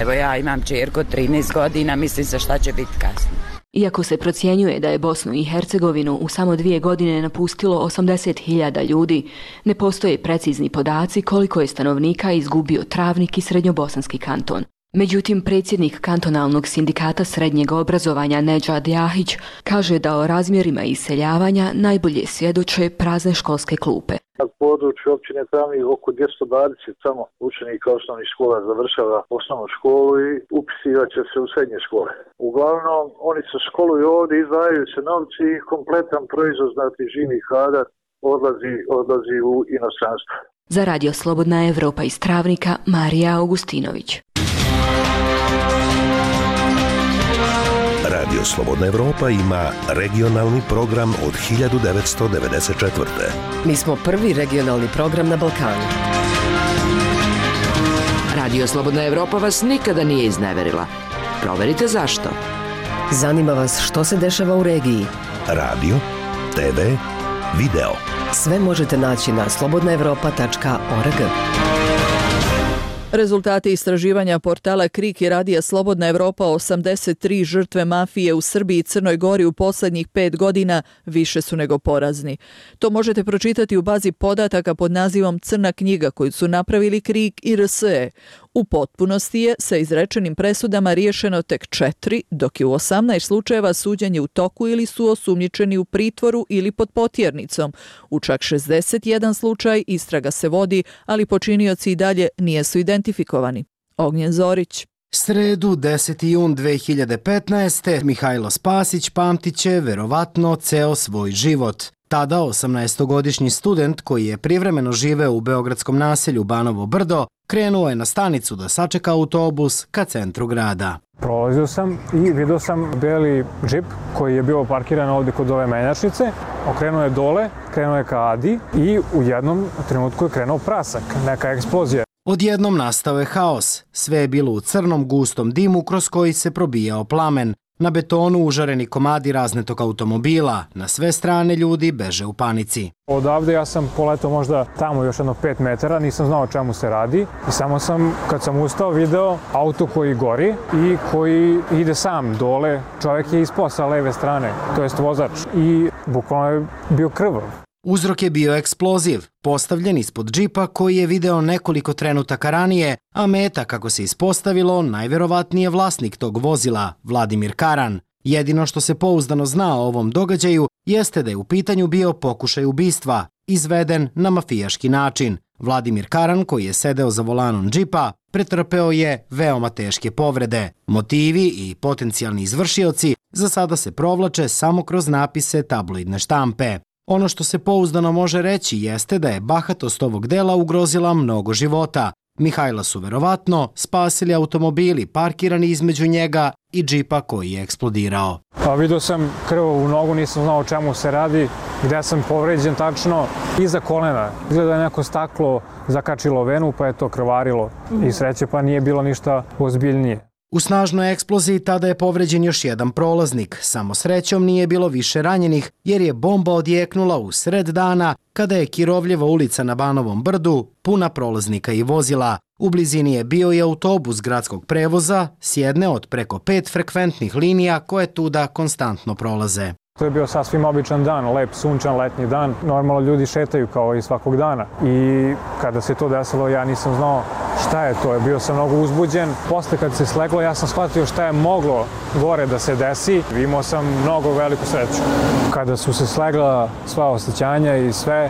Evo ja imam čerku 13 godina, mislim se šta će biti kasnije. Iako se procjenjuje da je Bosnu i Hercegovinu u samo 2 godine napustilo 80.000 ljudi, ne postoje precizni podaci koliko je stanovnika izgubio Travnik i Srednjobosanski kanton. Međutim, predsjednik kantonalnog sindikata srednjeg obrazovanja Nedžad Jahić kaže da o razmjerima iseljavanja najbolje svjedoče prazne školske klupe. Na području općine Travnik oko 220 samo učenika osnovnih škola završava osnovnu školu i upisivat će se u srednje škole. Uglavnom, oni se školuju ovdje, izdvajaju se novci i kompletan proizvod, znati živi kadar, odlazi u inostranstvo. Za Radio Slobodna Evropa iz Travnika, Marija Augustinović. Radio Slobodna Evropa ima regionalni program od 1994. Mi smo prvi regionalni program na Balkanu. Radio Slobodna Evropa vas nikada nije izneverila. Proverite zašto. Zanima vas što se dešava u regiji. Radio, TV, video. Sve možete naći na slobodnaevropa.org. Rezultati istraživanja portala KRIK i radija Slobodna Evropa o 83 žrtve mafije u Srbiji i Crnoj Gori u posljednjih 5 godina više su nego porazni. To možete pročitati u bazi podataka pod nazivom Crna knjiga koju su napravili KRIK i RSE. U potpunosti je sa izrečenim presudama riješeno tek 4, dok je u 18 slučajeva suđenje u toku ili su osumnjičeni u pritvoru ili pod potjernicom. U čak 61 slučaj istraga se vodi, ali počinioci i dalje nisu identifikovani. Ognjen Zorić. Sredu, 10. jun 2015. Mihajlo Spasić pamtit će verovatno ceo svoj život. Tada 18-godišnji student koji je privremeno živeo u beogradskom naselju Banovo Brdo krenuo je na stanicu da sačeka autobus ka centru grada. Prolazio sam i vidio sam beli džip koji je bio parkiran ovdje kod ove menjačnice. Okrenuo je dole, krenuo je ka Adi i u jednom trenutku je krenuo prasak, neka eksplozija. Odjednom nastao je haos. Sve je bilo u crnom gustom dimu kroz koji se probijao plamen. Na betonu užareni komadi raznetog automobila. Na sve strane ljudi beže u panici. Odavde ja sam poletao možda tamo još jedno 5 metara, nisam znao o čemu se radi. I samo sam, kad sam ustao, video auto koji gori i koji ide sam dole. Čovjek je ispao sa leve strane, to jest vozač. I bukvalno je bio krvav. Uzrok je bio eksploziv, postavljen ispod džipa koji je video nekoliko trenutaka ranije, a meta, kako se ispostavilo, najverovatnije vlasnik tog vozila, Vladimir Karan. Jedino što se pouzdano zna o ovom događaju jeste da je u pitanju bio pokušaj ubistva, izveden na mafijaški način. Vladimir Karan, koji je sedeo za volanom džipa, pretrpeo je veoma teške povrede. Motivi i potencijalni izvršioci za sada se provlače samo kroz napise tabloidne štampe. Ono što se pouzdano može reći jeste da je bahatost ovog dela ugrozila mnogo života. Mihajla su verovatno spasili automobili parkirani između njega i džipa koji je eksplodirao. Vidio sam krvavu nogu, nisam znao o čemu se radi, gde sam povređen tačno iza kolena. Izgleda je neko staklo zakačilo venu pa je to krvarilo i sreće pa nije bilo ništa ozbiljnije. U snažnoj eksploziji tada je povređen još jedan prolaznik. Samo srećom nije bilo više ranjenih jer je bomba odjeknula u sred dana kada je Kirovljeva ulica na Banovom Brdu puna prolaznika i vozila. U blizini je bio i autobus gradskog prevoza s jedne od preko 5 frekventnih linija koje tuda konstantno prolaze. To je bio sasvim običan dan, lep, sunčan, letnji dan. Normalno ljudi šetaju kao i svakog dana. I kada se to desilo, ja nisam znao šta je to. Bio sam mnogo uzbuđen. Posle kad se sleglo, ja sam shvatio šta je moglo gore da se desi. Imao sam mnogo veliku sreću. Kada su se slegla sva osjećanja i sve,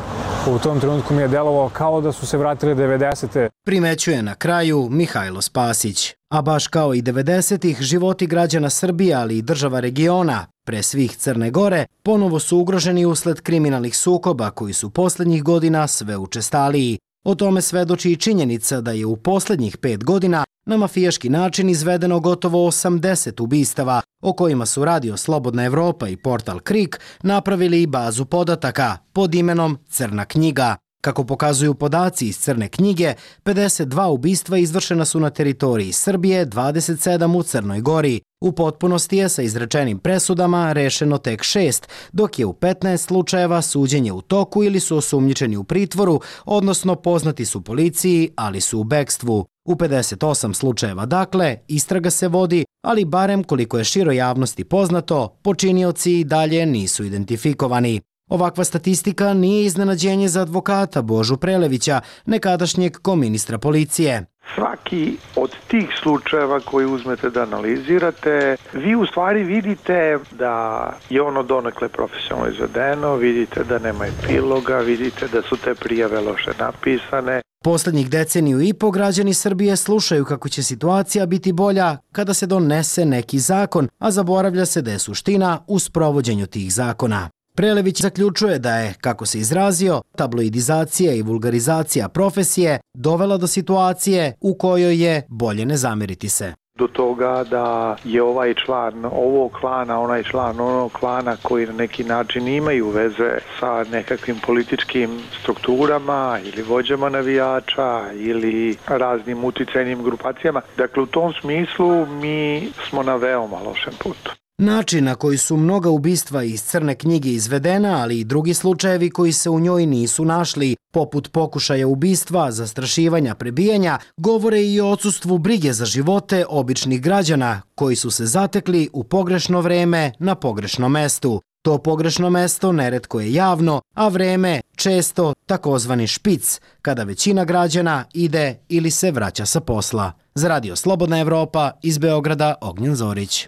u tom trenutku mi je delovalo kao da su se vratile 90. Primećuje na kraju Mihajlo Spasić. A baš kao i 90-ih, životi građana Srbije, ali i država regiona, pre svih Crne Gore, ponovo su ugroženi usled kriminalnih sukoba koji su poslednjih godina sve učestaliji. O tome svedoči i činjenica da je u poslednjih 5 godina na mafijaški način izvedeno gotovo 80 ubistava, o kojima su Radio Slobodna Evropa i portal Krik napravili i bazu podataka pod imenom Crna knjiga. Kako pokazuju podaci iz Crne knjige, 52 ubistva izvršena su na teritoriji Srbije, 27 u Crnoj Gori. U potpunosti je sa izrečenim presudama rešeno tek 6, dok je u 15 slučajeva suđenje u toku ili su osumnjičeni u pritvoru, odnosno poznati su policiji, ali su u bekstvu. U 58 slučajeva, dakle, istraga se vodi, ali barem koliko je široj javnosti poznato, počinioci i dalje nisu identifikovani. Ovakva statistika nije iznenađenje za advokata Božu Prelevića, nekadašnjeg koministra policije. Svaki od tih slučajeva koji uzmete da analizirate, vi u stvari vidite da je ono donekle profesionalno izvedeno, vidite da nema epiloga, vidite da su te prijave loše napisane. Poslednjih deceniju i po građani Srbije slušaju kako će situacija biti bolja kada se donese neki zakon, a zaboravlja se da je suština u sprovođenju tih zakona. Prelević zaključuje da je, kako se izrazio, tabloidizacija i vulgarizacija profesije dovela do situacije u kojoj je bolje ne zameriti se. Do toga da je ovaj član ovog klana, onaj član onog klana koji na neki način imaju veze sa nekakvim političkim strukturama ili vođama navijača ili raznim uticajnim grupacijama. Dakle, u tom smislu mi smo na veoma lošem putu. Način na koji su mnoga ubistva iz Crne knjige izvedena, ali i drugi slučajevi koji se u njoj nisu našli, poput pokušaja ubistva, zastrašivanja, prebijanja, govore i o odsustvu brige za živote običnih građana koji su se zatekli u pogrešno vreme na pogrešnom mestu. To pogrešno mesto neretko je javno, a vreme često takozvani špic, kada većina građana ide ili se vraća sa posla. Za Radio Slobodna Evropa iz Beograda, Ognjen Zorić.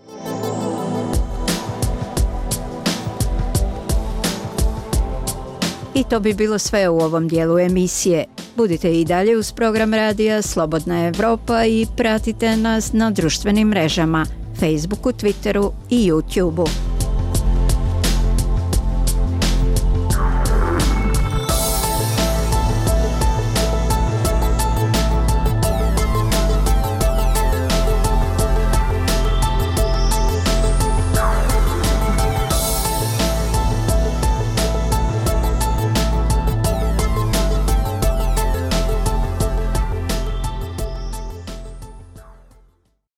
I to bi bilo sve u ovom dijelu emisije. Budite i dalje uz program radija Slobodna Evropa i pratite nas na društvenim mrežama, Facebooku, Twitteru i YouTubeu.